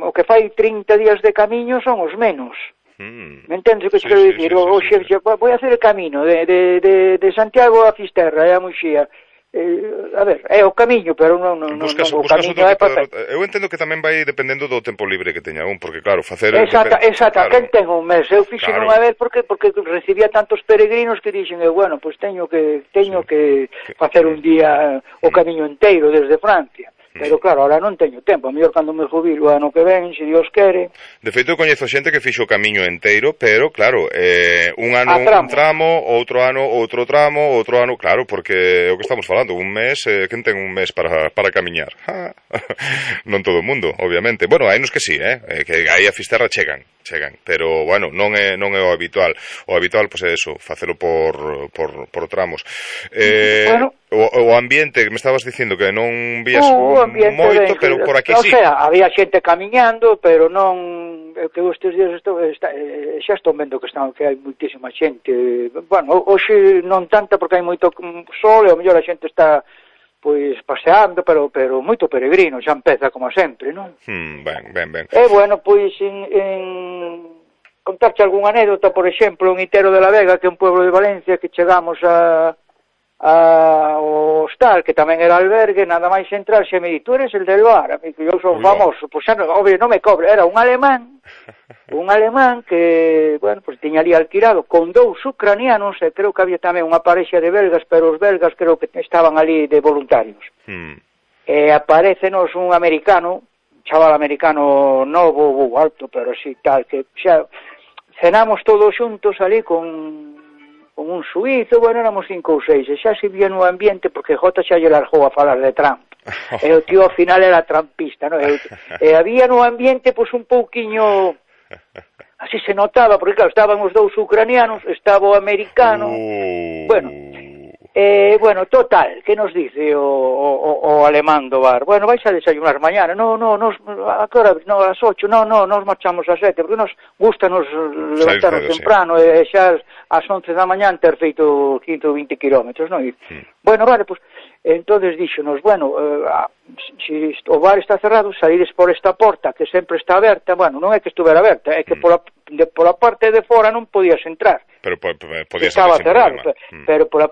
o que fai 30 días de camiño son os menos. Me entendes o que quero dicir? Voy a hacer o camino de Santiago a Fisterra e a Muxía. A ver, é o camiño, pero non o camiño é para... Eu entendo que tamén vai dependendo do tempo libre que teña un, porque claro, facer... Exacto, quen ten un mes? Eu fixen unha vez porque recibía tantos peregrinos que dixen, bueno, pois teño que facer un día o camiño inteiro desde Francia. Pero claro, ahora non teño tempo, a mellor cando me jubilo ano que ven, se Dios quere. De feito, coñezo xente que fixo o camiño enteiro, pero claro, un ano un tramo, outro ano outro tramo, outro ano, claro, porque é o que estamos falando, un mes, quen ten un mes para camiñar? Non todo o mundo, obviamente. Bueno, hai nos que sí, que aí a Fisterra chegan, pero bueno, non é o habitual. O habitual, pois é eso, facelo por tramos. Bueno, o ambiente, que me estabas dicindo que non vías moito, pero por aquí sí. O sea, había xente camiñando, pero non... que estes días xa estou vendo que hai moitísima xente. Bueno, hoxe non tanta porque hai moito sol e ao mellor a xente está pois paseando, pero moito peregrino, xa empeza como sempre, non? Ben. E bueno, pois en contarche algunha anécdota, por exemplo, en Itero de la Vega, que é un pueblo de Valencia, que chegamos ao hostal, que tamén era albergue, nada máis entrar, xe me di, tú eres el del bar, amigo, eu son famoso, pois xa, obvio, non me cobre, era un alemán que, bueno, pois tiña ali alquilado con 2 ucranianos, e creo que había tamén unha parexa de belgas, pero os belgas creo que estaban ali de voluntarios. E aparecenos un americano, un chaval americano novo, alto, pero así tal, que xa cenamos todos xuntos ali con un suizo, bueno, éramos 5 ou 6, e xa se vía no ambiente, porque Jota xa lle largou a falar de Trump, e o tío ao final era trampista, non? E había no ambiente, pois, un pouquiño, así se notaba, porque claro, estaban os 2 ucranianos, estaba o americano, bueno, total, que nos dice o alemán do bar? Bueno, vais a desayunar mañana? No, a que hora? No, a las 8, no, nos marchamos a 7, porque nos gusta nos levantarnos temprano, e xa ás 11 da mañán ter feito 15 ou 20 kilómetros, non? Bueno, vale, pues, entonces díxonos, bueno, se o bar está cerrado, salides por esta porta, que sempre está aberta, bueno, non é que estuvera aberta, é que pola parte de fora non podías entrar. Pero podías estaba cerrado, pero pola...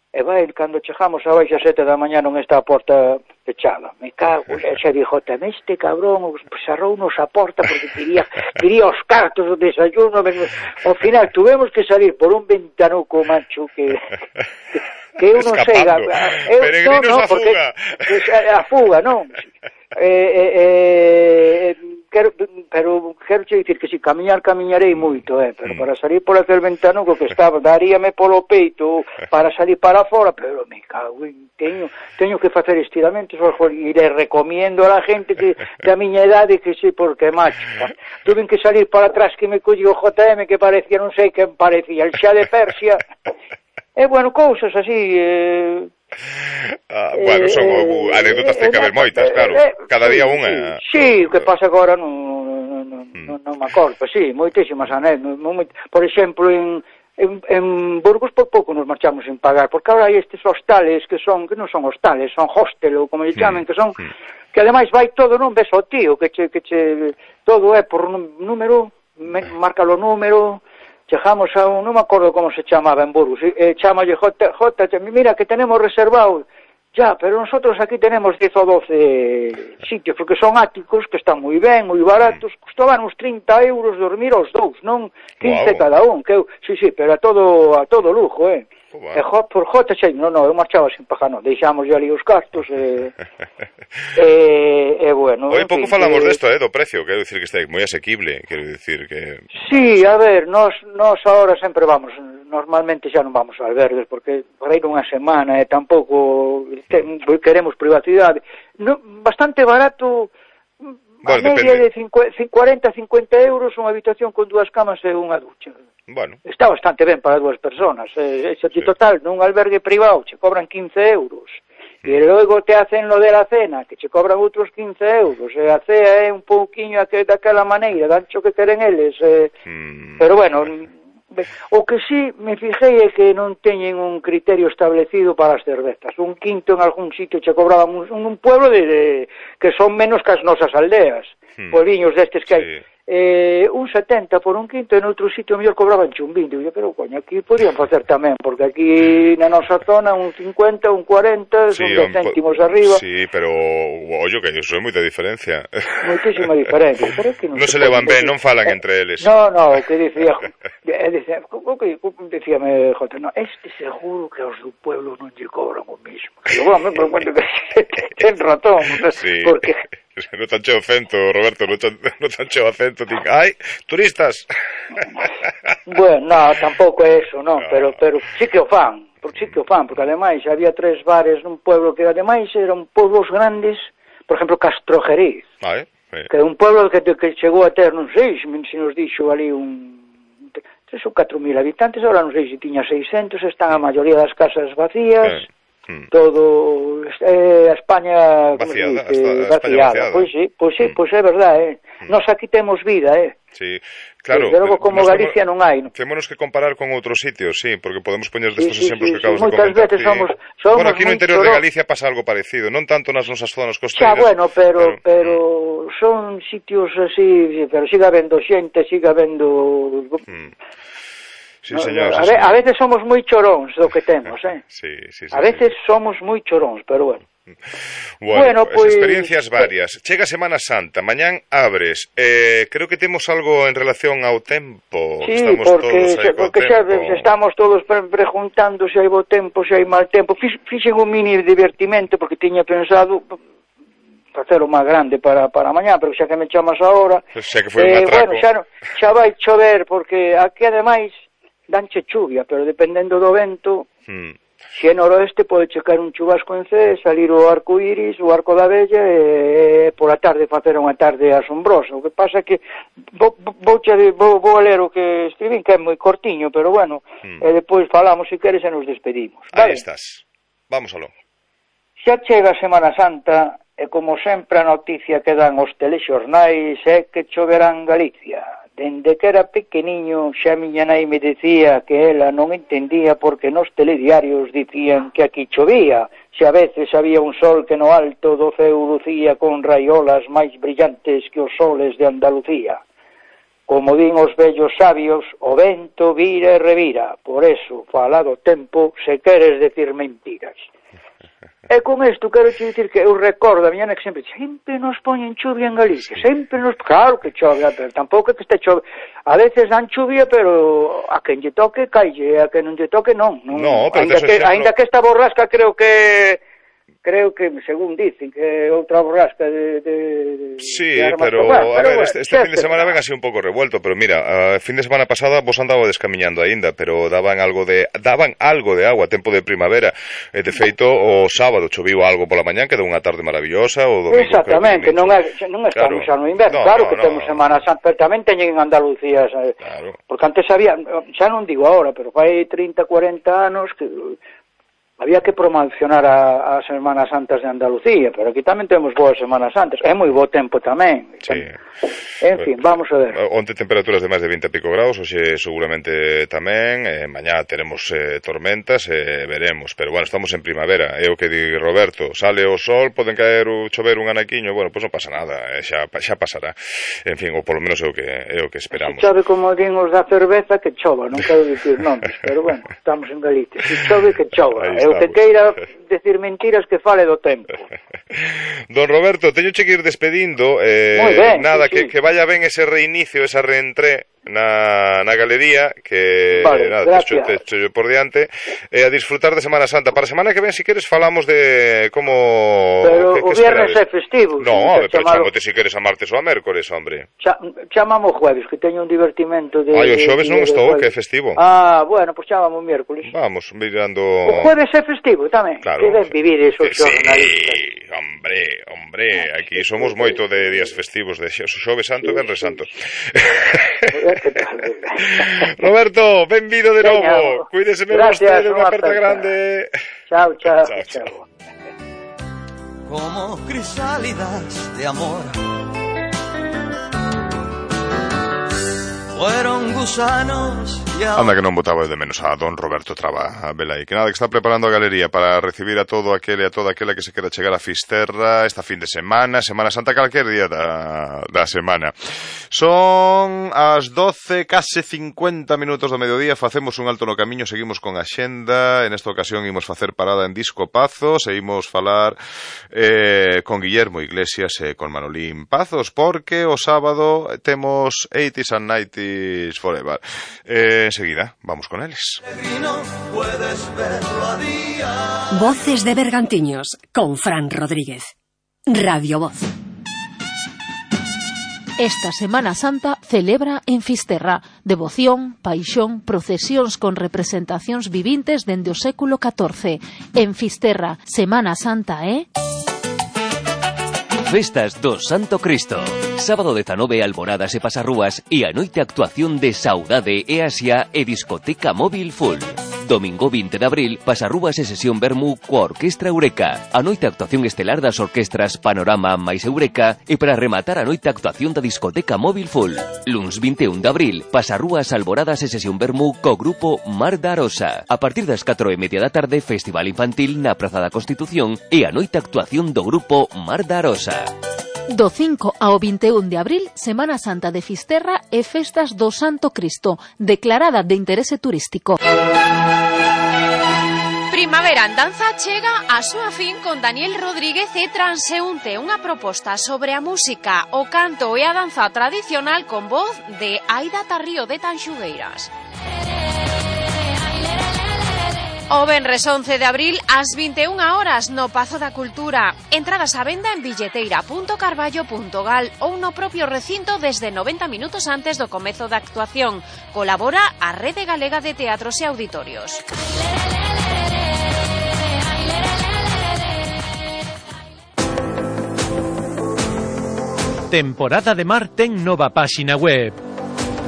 E vai, cando chegamos a baixa 7 da mañá non está a porta pechada. Me cago, xa dijo, este cabrón cerrounos a porta porque quería os cartos do desayuno. Ao final tuvemos que salir por un ventanuco, macho, que eu non sei. Peregrinos a fuga. A fuga, non. Pero quero che dicir que si camiñarei moito, pero para salir por aquel ventanuco que estaba, daríame polo peito para salir para fora, pero me cago en, teño que facer estiramentos, e le recomiendo a la gente que da miña idade que sí, porque macho, tuve que salir para atrás, que me colleu o JM, que parecía, non sei quen parecía, el xa de Persia, bueno, cousas así, bueno, son anécdotas que caben moitas, claro. Cada día unha. Sí, o que pasa agora non me acordo, sí, moitísimas anécdotas. Por exemplo, en Burgos por pouco nos marchamos sin pagar, porque agora hai estes hostales que non son hostales, son hostel, ou como lle chamen, que son que ademais vai todo, non ves ao tío, que todo é por número, márcalo o número. Chegamos a non me acordo como se chamaba en Burgos, chamalle J, mira que tenemos reservado, ya, pero nosotros aquí tenemos 10 ou 12 sitios, porque son áticos, que están moi ben, moi baratos, costaban uns 30 euros dormir aos 2, non 15 cada un, sí, pero a todo lujo, E por Jota, non, eu marchaba sin pagar, non, deixamos ali os cartos, bueno... Hoy pouco falamos desto, do precio, quero dicir que está moi asequible, quero dicir que... Sí, a ver, nós agora sempre vamos, normalmente xa non vamos a albergues, porque por aí unha semana, tampouco queremos privacidade, bastante barato... Bueno, a media de 40-50 euros unha habitación con 2 camas e unha ducha. Bueno. Está bastante ben para 2 personas. Total, nun albergue privado che cobran 15 euros. E logo te hacen lo de la cena, que che cobran outros 15 euros. E a cea é un pouquiño daquela maneira, dancho que queren eles. Pero bueno... O que sí me fijei é que non teñen un criterio establecido para as cervezas. Un quinto en algún sitio che cobraban un pueblo que son menos que as nosas aldeas. Puebliños destes que hai. un 70 por un quinto, e noutro sitio mellor cobraban un 20. Pero, coño, aquí podían facer tamén, porque aquí na nosa zona un 50, un 40, son 10 céntimos arriba. Sí, pero, ollo, que iso é moita diferencia. Moitísima diferencia. Pero que non se levan ben, non falan entre eles. No, que decíame, Jota, no, este seguro que aos do pueblo non lle cobran o mismo. Eu, me cuento que ten ratón, porque... Non tan cheo acento, Roberto, non tan cheo acento. Ai, turistas. Bueno, no, tampouco é eso, non, pero sí que o fan, porque ademais había 3 bares nun pueblo que ademais eran pueblos grandes, por exemplo, Castrojeriz, que é un pueblo que chegou a ter, non sei, se nos dixo ali 3 ou 4.000 habitantes, ahora non sei se tiña 600, están a maioría das casas vacías, todo a España vaciada. Pois é verdade, Nos aquí temos vida, Sí, claro. Desde logo, como Galicia non hai. Témonos que comparar con outros sitios, sí, porque podemos poñer destes exemplos que acabas de comentar. Moitas veces somos bueno, aquí no interior de Galicia pasa algo parecido, non tanto nas nosas zonas costeiras. Bueno, pero son sitios así, pero siga habendo xente, siga habendo... Sí, señor. A veces somos moi choróns do que temos, Sí. A veces somos moi choróns, pero bueno. Bueno, pues, experiencias varias. Chega Semana Santa, mañán abres. Creo que temos algo en relación ao tempo. Sí, porque xa estamos todos preguntando se hai bo tempo, se hai mal tempo. Fixen un mini divertimento porque tiña pensado facer o máis grande para mañá, pero xa que me chamas ahora, xa que foi un atraco. Bueno, xa vai chover porque aquí ademais danche chuvia, pero dependendo do vento, se é noroeste pode checar un chubasco en C, salir o arco iris, o arco da Bella e por a tarde facer unha tarde asombrosa. O que pasa é que vou a ler o que escribín, que é moi cortiño, pero bueno, e depois falamos se queres e nos despedimos. Aí estás. Vamos aló. Xa chega a Semana Santa e como sempre a noticia que dan os telexornais é que choverá en Galicia. Dende que era pequeniño xa miña nai me decía que ela non entendía porque nos telediarios dicían que aquí chovía, se a veces había un sol que no alto do ceu lucía con raiolas máis brillantes que os soles de Andalucía. Como din os vellos sabios, o vento vira e revira, por eso, fala do tempo se queres decir mentiras. E con isto quero te dicir que eu recordo a miña nai que sempre nos poñen chuvia en Galicia, claro que chove, pero tampouco é que este chove, a veces dan chuvia, pero a quen lle toque caille, a quen non lle toque non, ainda que esta borrasca creo que según dicen que outra borrasca sí, pero a ver, este fin de semana ven así un pouco revuelto, pero mira, a fin de semana pasada vos andaba descamiñando aínda, pero daban algo de agua a tempo de primavera, de feito o sábado choviu algo pola mañán, quedou unha tarde maravillosa, o domingo exactamente, non estamos xa no inverno, claro que temos Semana Santa, pero tamén teñen en Andalucía, porque antes había, xa non digo ahora, pero fai 30, 40 anos que había que promocionar as Semanas Santas de Andalucía, pero aquí tamén temos boas Semanas Santas. É moi bo tempo tamén. Sí. En fin, vamos a ver. Onte temperaturas de máis de 20 e pico graus, hoxe seguramente tamén, mañá teremos tormentas, veremos, pero bueno, estamos en primavera. É o que di Roberto, sale o sol, poden caer ou chover un anaquiño, bueno, pois non pasa nada, xa pasará. En fin, ou polo menos é o que esperamos. Se chove como din os da cerveza, que chova, non quero dicir nomes, pero bueno, estamos en Galicia. Se chove, que chova. O que queira decir mentiras que fale do tempo. Don Roberto, teño que ir despedindo, nada, sí. Que vaya ben ese reinicio, esa reentré na galería, que nada, te echo por diante, a disfrutar de Semana Santa. Para a semana que ven, si queres, falamos de como... Pero o viernes é festivo. No, pero chamote si queres a martes ou a mércores, hombre. Chamamos jueves, que teño un divertimento de... o xoves non estou, que é festivo. Bueno, pois chamamos miércoles. Vamos, mirando... O jueves é festivo tamén. Claro. Que ben vivir esos xornalistas. Sí, hombre, aquí somos moito de días festivos, de xoves santo e venres santo. Roberto, benvido de novo. Cuídese ben vostede, unha aperta grande. Chao. Como crisálidas de amor, fueron gusanos Anda que non botaba de menos a don Roberto Traba, a vela aí, que nada, que está preparando a galería para recibir a todo aquele e a toda aquela que se quera chegar a Fisterra esta fin de semana, Semana Santa, calquer día da semana. Son as 12, case 50 minutos do mediodía, facemos un alto no camiño, seguimos con a xenda, en esta ocasión imos facer parada en Disco Pazos e imos falar con Guillermo Iglesias e con Manolín Pazos, porque o sábado temos 80s and 90s Forever. Enseguida, vamos con eles. Voces de Bergantiños, con Fran Rodríguez. Radio Voz. Esta Semana Santa celebra en Fisterra devoción, paixón, procesións con representacións vivintes dende o século XIV. En Fisterra, Semana Santa Festas do Santo Cristo. Sábado 19, alboradas e pasarrúas e a noite actuación de Saudade e Asia e discoteca móvil full. Domingo 20 de abril, pasarrúas e sesión vermú coa Orquestra Eureka. A noite actuación estelar das orquestras Panorama máis Eureka e para rematar a noite actuación da discoteca móvil full. Luns 21 de abril, pasarrúas, alboradas e sesión vermú co grupo Mar da Arosa. A partir das 4:30 da tarde, festival infantil na Praza da Constitución e a noite actuación do grupo Mar da Arosa. Do 5 ao 21 de abril, Semana Santa de Fisterra e Festas do Santo Cristo, declarada de interese turístico. Primavera en Danza chega a súa fin con Daniel Rodríguez e Transeúnte, unha proposta sobre a música, o canto e a danza tradicional con voz de Aida Tarrío de Tanxugueiras. O venres 11 de abril ás 21 horas no Pazo da Cultura. Entradas á venda en billeteira.carballo.gal ou no propio recinto desde 90 minutos antes do comezo da actuación. Colabora a Rede Galega de Teatros e Auditorios. Temporada de Mar ten nova páxina web.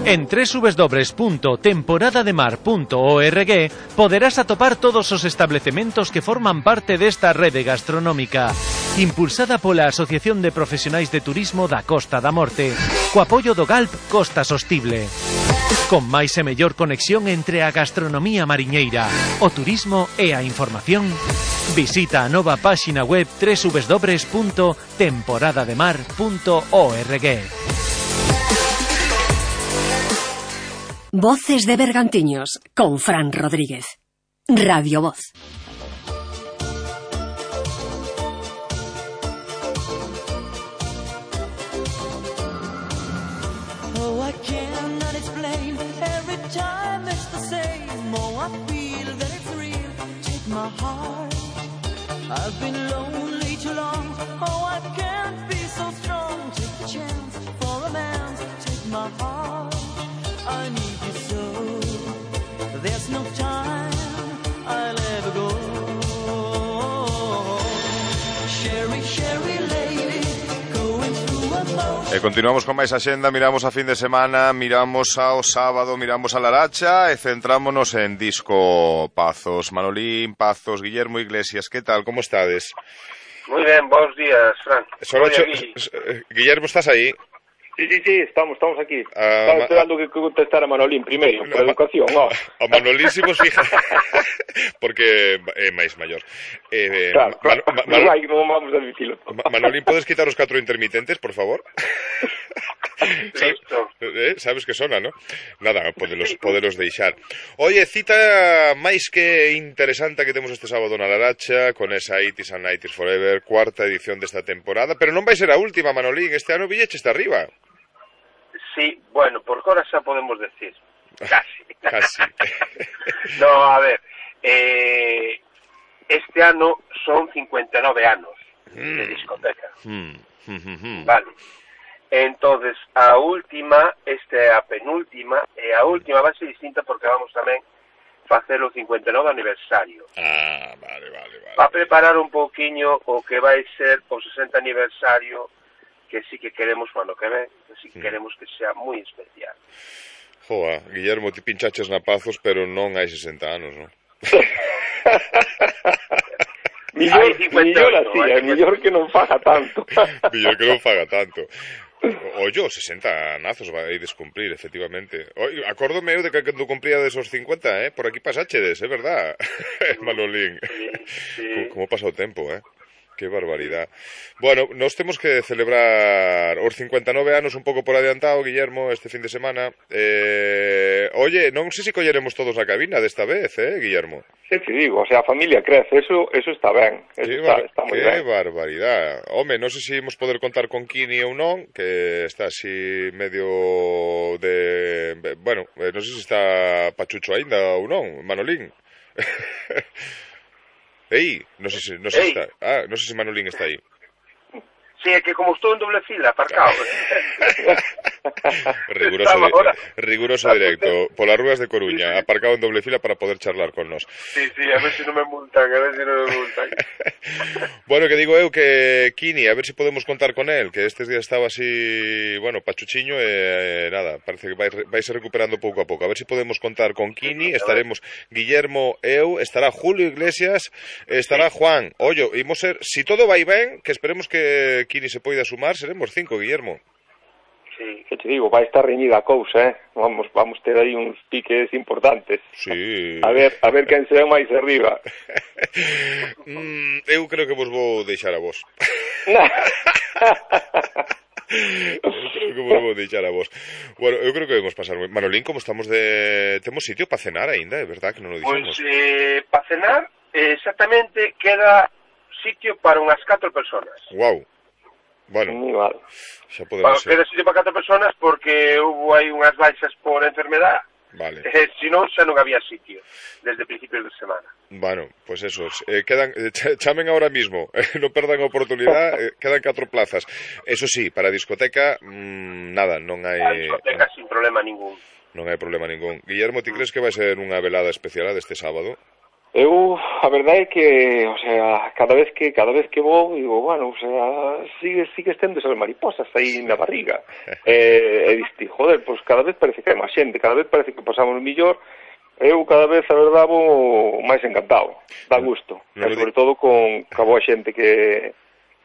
En www.temporadademar.org poderás atopar todos os establecementos que forman parte desta rede gastronómica, impulsada pola Asociación de Profesionais de Turismo da Costa da Morte, co apoio do GALP Costa Sostible. Con máis e mellor conexión entre a gastronomía mariñeira, o turismo e a información, visita a nova páxina web www.temporadademar.org. Voces de Bergantiños, con Fran Rodríguez. Radio Voz. Oh, I cannot explain. Every time it's the same. Oh, I feel that it's real. Take my heart. I've been lonely too long. Oh, I can't be so strong. Take the chance for romance. Take my heart. I need you so. There's no time I'll ever go. Sherry, Sherry lady, going through a boat. E continuamos con máis axenda, miramos a fin de semana, miramos ao sábado, miramos a Laracha e centrámonos en Disco Pazos. Manolín Pazos, Guillermo Iglesias, que tal, como estades? Moi ben, bons días, Fran. Guillermo, estás aí? Sí, estamos aquí. Estaba esperando que contestara Manolín primeiro, por educación, no. A Manolín si vos fija, porque é máis maior. Claro, non vamos a dicilo. Manolín, podes quitar os 4 intermitentes, por favor? Listo. Sabes que sona, ¿no? Nada, poderos deixar. Oye, cita máis que interesante que temos este sábado na Laracha, con esa 80s and 90s Forever, cuarta edición desta temporada, pero non vai ser a última, Manolín, este ano Villeche está arriba. Sí, bueno, por hora xa podemos decir. Casi. No, a ver, este ano son 59 anos de discoteca. Vale. Entonces, a última, esta é a penúltima, e a última vai ser distinta porque vamos tamén facer o 59 aniversario. Vale. Va a preparar un pouquiño o que vai ser o 60 aniversario, que sí que queremos para o que ven, que sí que queremos que sea moi especial. Joa, Guillermo, ti pinchaches na Pazos, pero non hai 60 anos, non? Millor así, mellor que non faga tanto. Millor que non faga tanto. Ollo, 60 nazos vai descumplir, efectivamente. Acórdome eu de que cando cumpría desos 50, por aquí pasáchedes, é verdad, Manolín. Sí. Como pasa o tempo, Que barbaridade. Bueno, nos temos que celebrar os 59 anos un pouco por adiantado, Guillermo, este fin de semana. Oye, non sei se colleremos todos a cabina desta vez, Guillermo? Sí, te digo, o sea, a familia crece, eso está ben. Está moi ben. Que barbaridade. Home, non sei se imos poder contar con Kini ou non, que está así medio de... Bueno, non sei se está pachucho aínda ou non, Manolín. Non sei se está. Non sei se Manolín está aí. Sí, é que como estou en doble fila, aparcado. Riguroso directo. Polas rúas de Coruña, aparcado en doble fila para poder charlar con nos. Sí, a ver se non me multan, Bueno, que digo eu que Kini, a ver se podemos contar con él, que estes días estaba así, bueno, pachuchiño e nada, parece que vai se recuperando pouco a pouco. A ver se podemos contar con Kini, estaremos Guillermo, eu, estará Julio Iglesias, estará Juan. Ollo, imos ser, si todo vai ben, que esperemos que Kini se poida sumar, seremos 5, Guillermo. Sí. Que te digo, vai estar reñida a cousa, Vamos ter aí uns piques importantes. Sí. A ver quen se ve máis arriba. Eu creo que vos vou deixar a vos. Bueno, eu creo que vamos pasar. Manolín, como estamos temos sitio para cenar aínda, é verdad que non o dixemos. Pois, para cenar, exactamente, queda sitio para unhas 4 personas. Guau. Bueno, xa podemos ser. Queda sitio para 4 personas porque hubo aí unhas baixas por enfermedad. Vale. Se non, xa non había sitio desde principios de semana. Bueno, pues eso, chamen ahora mismo, non perdan a oportunidade, quedan 4 plazas. Eso sí, para a discoteca, nada, non hai... A discoteca sin problema ningún. Non hai problema ningún. Guillermo, ti crees que vai ser unha velada especial deste sábado? A verdade é que, o sea, cada vez que vou, digo, bueno, o sea, sigue estendo esas mariposas aí na barriga. E diste, joder, pois cada vez parece que hai máis xente, cada vez parece que pasamos mellor. Eu cada vez, a verdade, vou máis encantado, dá gusto. E sobre todo con a boa xente que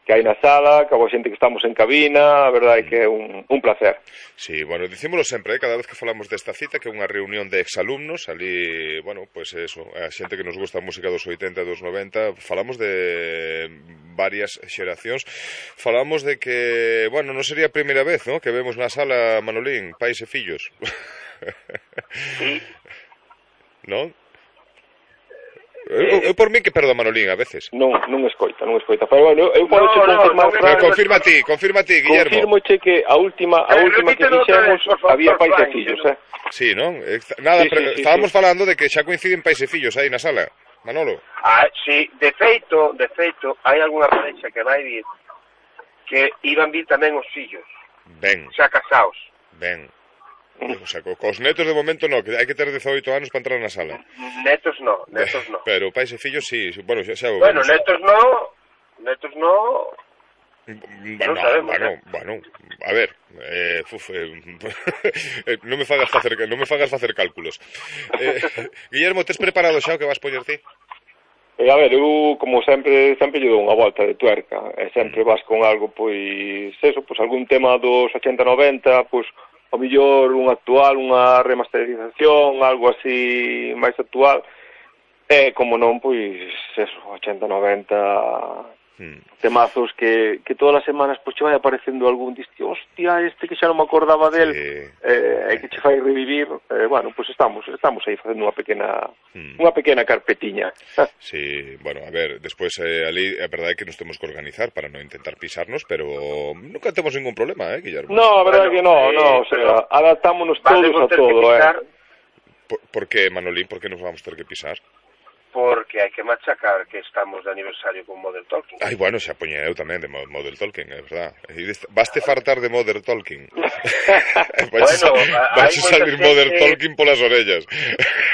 hai na sala, que a boa xente que estamos en cabina, a verdade é que é un placer. Sí, bueno, dicímolo sempre, cada vez que falamos desta cita, que é unha reunión de exalumnos, ali, bueno, pois eso, a xente que nos gusta a música dos 80 e dos 90, falamos de varias xeracións, falamos de que, bueno, non sería a primeira vez, ¿no?, que vemos na sala, Manolín, pais e fillos. Sí. Non? Eu por mí que perdo a Manolín a veces. Non escoita. Pero bueno, eu podo confirmar. Confirma ti, Guillermo. Confirmoche que a última que fixemos había pais e fillos, Sí, non? Nada, pero estábamos falando de que xa coinciden pais e fillos aí na sala, Manolo. Sí, de feito, hai algunha parexa que vai vir que iban vir tamén os fillos. Ben. Xa casados. Ben. O sea, cos netos de momento no, que hai que ter 18 anos para entrar na sala. Netos no. Pero pais e fillos sí, bueno, xa o bueno, netos no. Non sabemos. Bueno, a ver, non me fagas facer cálculos. Guillermo, tes preparado xa o que vas poñer ti? A ver, eu, como sempre lle dou unha volta de tuerca, e sempre vas con algo, pois, eso, pois, algún tema dos 80-90, pois, o mellor un actual, unha remasterización, algo así máis actual, e, como non, pois, eso, 80-90 temazos que todas as semanas pois che vai aparecendo algún, diste, hostia, este que xa non me acordaba del, e que che fai revivir, bueno, pois estamos aí facendo unha pequena carpetiña. Sí, bueno, a ver, despois ali a verdade é que nos temos que organizar para non intentar pisarnos, pero nunca temos ningún problema, Guillermo? No, a verdade é que no, o sea, adaptámonos todos a todo, Por que, Manolín, por que nos vamos ter que pisar? Porque hai que machacar que estamos de aniversario con Modern Talking. Ai, bueno, xa poñe eu tamén de Modern Talking, é verdad. Baste fartar de Modern Talking. Vais a salir Modern Talking polas orellas.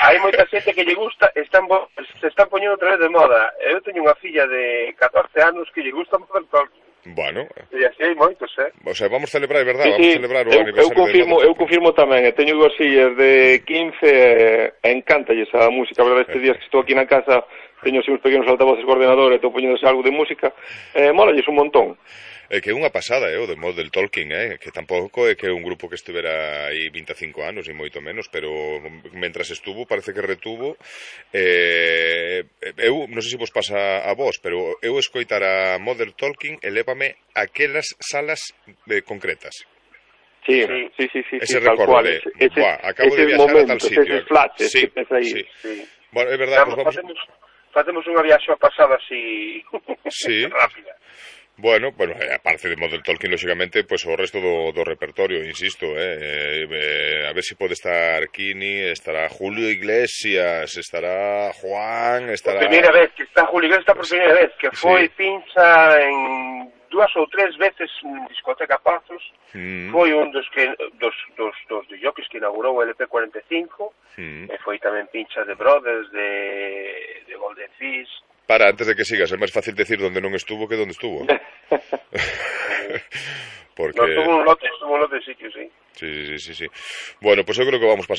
Hai moita xente que lle gusta, se están poñendo outra vez de moda. Eu teño unha filla de 14 anos que lle gusta Modern Talking. Bueno. E así hai moitos, O sea, vamos a celebrar, verdad? Sí, vamos a celebrar o aniversario. Eu confirmo tamén, teño dúas fillas de 15 e encántalles a música, a verdade, estes días que estou aquí na casa teño así uns pequenos altavoces co ordenador e estou poñéndose algo de música, mólalles un montón. que é unha pasada, o de Model Talking, que tampouco é que é un grupo que estivera aí 25 anos, e moito menos, pero mentras estuvo, parece que retuvo. Eu, non sei se vos pasa a vos, pero eu escoitar a Model Talking elévame aquelas salas concretas. Sí. Ese recordo de, acabo de viaxar a tal sitio. Eses flashes sí, que tes aí. Sí. Bueno, é verdade, pues facemos unha viaxe pasada así rápida. Bueno, aparte de Model Talking, lógicamente, pues o resto do repertorio, insisto, a ver si pode estar Kini, estará Julio Iglesias, estará Juan, estará... Por primeira vez que está Julio Iglesias, por primeira vez, que foi pincha en 2 ou 3 veces en discoteca Pazos, foi un dos jockeys que inaugurou o LP45, e foi tamén pincha de Brothers, de Golden Fish. Para, antes de que sigas, é máis fácil decir onde non estuvo que onde estuvo. Porque... No, estuvo un lote de sitios, sí. Sí. Bueno, pues eu creo que vamos pasando